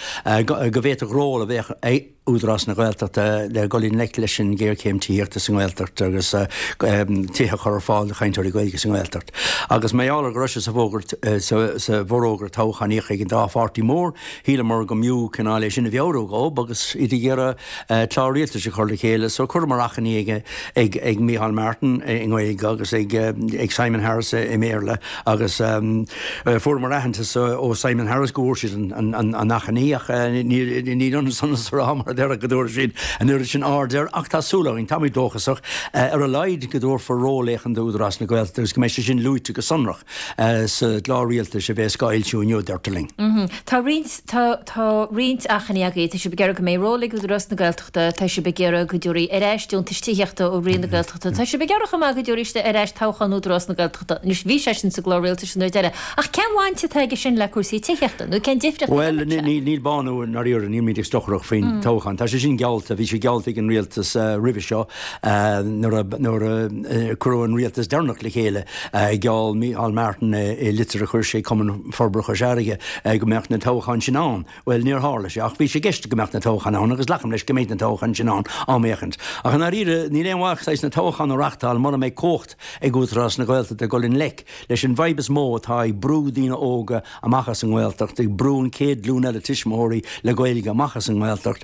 go bhféadfadh ról a bheadh ag Údarás na Gaeltachta le dul i ngleic leis an ghéarchéim tithíochta sa nGaeltacht agus tithe a chur ar fáil do chainteoirí Gaeilge sa nGaeltacht. Agus mar gheall ar go raibh sé sa sa bhforógra toghchánaíochta ag an dá pháirtí mór, shíleamar go mb'fhiú cineál é sin a mheabhrú dhób agus iad ag iarraidh clár rialtais a chur le chéile. So chuireamar achainí ag ag ag Micheál Martin i nGaeilge agus ag ag Simon Harris i mBéarla agus fuaireamar aitheantas ó Simon Harris go bhfuair siad an achainí ach ní ionann san is a rá mar a déarfá go dtabharfaidh siad an oiread sin aird air ach tá súil againn, táimid dóchasach, ar a laghad go dtabharfar ról éicint d'Údarás na Gaeltachta agus go mbeidh sé sin luaite go sonrach sa gclár rialtais a bheas dhá fhoilsiú inniu, deirtear linn. Tá roinnt, tá, tá roinnt achainí agaibh, tá sibh ag iarraidh go mbeidh ról ag Údarás na Gaeltachta, tá sibh ag iarraidh go dtabharfaí ar ais deontais tithíochta ó Roinn na Gaeltachta, tá sibh ag iarraidh chomh maith go dtabharfaí ar ais toghchán Údarás na Gaeltachta. Anois, bhí sé sin sa gclár rialtais an uair deiridh, ach cén bhaint atá aige sin le cúrsaí tithíochta, nó cén difríocht a Bhuel, dhéanann sé? níl Bánú i ndáiríre, nílimid ag stocaireacht faoin toghchán. Tá sé sin geallta, bhí sé geallta ag an rialtas roimhe seo nuair a nuair a cuireadh an rialtas deireanach le chéile, gheall Micheál Martin i litir a chuir sé Cumann Forbartha Chois Fharraige go mbeadh na toghcháin sin ann. Bhuel, níor tharla sé, ach bhí sé i gceist go mbeadh na toghcháin ann agus glacaim leis go mbeidh na toghcháin sin ann am éicint. Ach i ndáiríre, níl aon mhaith saghas na toghcháin a reachtáil mura mbeidh cumhacht ag Údarás na Gaeltachta dul i ngleic leis an bhfadhb is mó atá ag brú daoine óga amach as an nGaeltacht, ag brú an chéad ghlúin eile tuismitheoirí le Gaeilge amach as an nGaeltacht,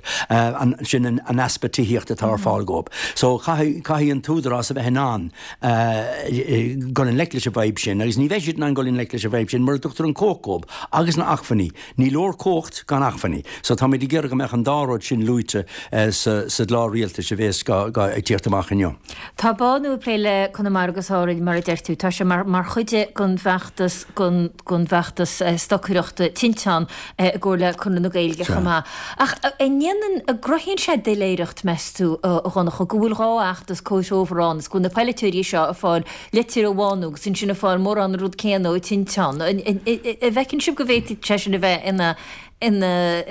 sin an easpa tithíochta atá ar fáil dhóibh. So, caithfidh, caithfidh an tÚdarás a bheith in ann dul i ngleic leis an bhfadhb sin agus ní bheidh siad in ann dul i ngleic leis an bhfadhb sin mura dtugtar an chumhacht dhóibh agus na acmhainní. Ní leor cumhacht gan acmhainní. So táimid ag iarraidh go mbeadh an dá rud sin luaite sa gclár rialtais a bhéas ag tíocht amach inniu. Tá Bánú ag plé le Conamara agus Árainn, mar a deir tú. Tá sé mar mar chuid den bhfeachtas den den bhfeachtas stocaireachta tinteán i gcomhar le Conradh na Gaeilge chomh maith. Ach an ndéanann, an gcruthaíonn sé doiléireacht, meas tú, a Dhonncha, go bhfuil dhá fheachtas comhthreomhar ann is go bhfuil na polaiteoirí seo ag fáil litir ó Bhánú agus ansin ag fáil mórán an rud céanna ó Tinteán. An bhfeiceann sibh go bhféadfadh sé sin a bheith ina ina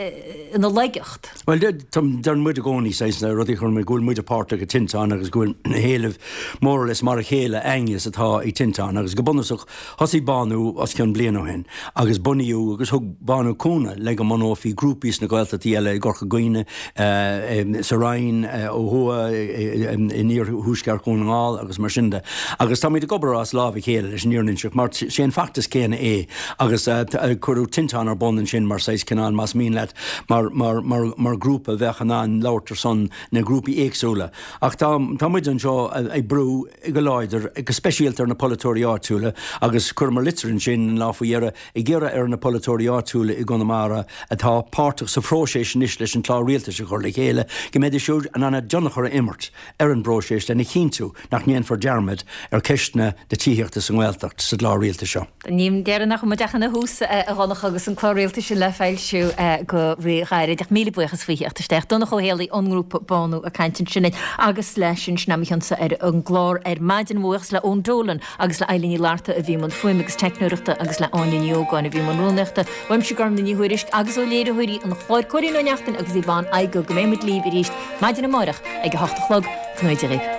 ina laigeacht? Bhuel, deireann muid i gcónaí saghas na rudaí a chuireann muid, go bhfuil muide páirteach i Tinteán agus go bhfuil na héilimh more or less mar a chéile againne is atá ag Tinteán agus go bunúsach thosaigh Bánú os cionn bliain ó shin agus bunaíodh agus thug Bánú cúnamh le go mbunófaí grúpaí sna Gaeltachtaí eile i gCorca Dhuibhne, sa Rinn ó thuaidh, in iarthuaisceart Dhún na nGall agus mar sin de. Agus táimid ag obair as lámh a chéile leis an fhírinne a inseacht mar sé an feachtas céanna é agus cuireadh Tinteán ar bun ansin mar saghas cineál, más mian leat, mar, mar, mar, mar ghrúpa a bheadh in ann labhairt ar son na grúpaí éagsúla. Ach tá, tá muid anseo ag brú go láidir, go speisialta ar na polaiteoirí áitiúla agus chuireamar litir ansin an lá faoi dheireadh ag iarraidh ar na polaiteoirí áitiúla i gConamara atá páirteach sa phróiseas anois leis an clár rialtais a chur le chéile, go mbeidís siúd in ann a dtionchar a imirt ar an bpróiseas lena chinntiú nach ndéanfar dearmad ar cheisteanna na tithíochta sa nGaeltacht sa gclár rialtais seo. Ní deireanach muid ach ina thús, a Dhonncha, agus an clár rialtais sin le foilsiú. fhoilsiú go rí-ghairid. Ach míle buíochas faoi theacht isteach. Donncha Ó Héalaí ón ngrúpa Bánú ag caint ansin linn agus leis sin, sin é mo chionsa ar an gclár ar maidin. Mo bhuíochas le Eoin Dolan agus le Eilín Ní Fhlatharta a bhí i mbun fuaime agus teicneoireachta agus le Áine Ní Ógáin a bhí i mbun rúnaíochta. Uaimse Gormlaith Ní Thuairisg agus ó léiritheoirí an chláir Cóilín Ó Neachtain agus Yvonne Igoe go mbeidh muid libh arís maidin amárach ag a hocht a chlog. Go ngnóthaí Dia dhaoibh.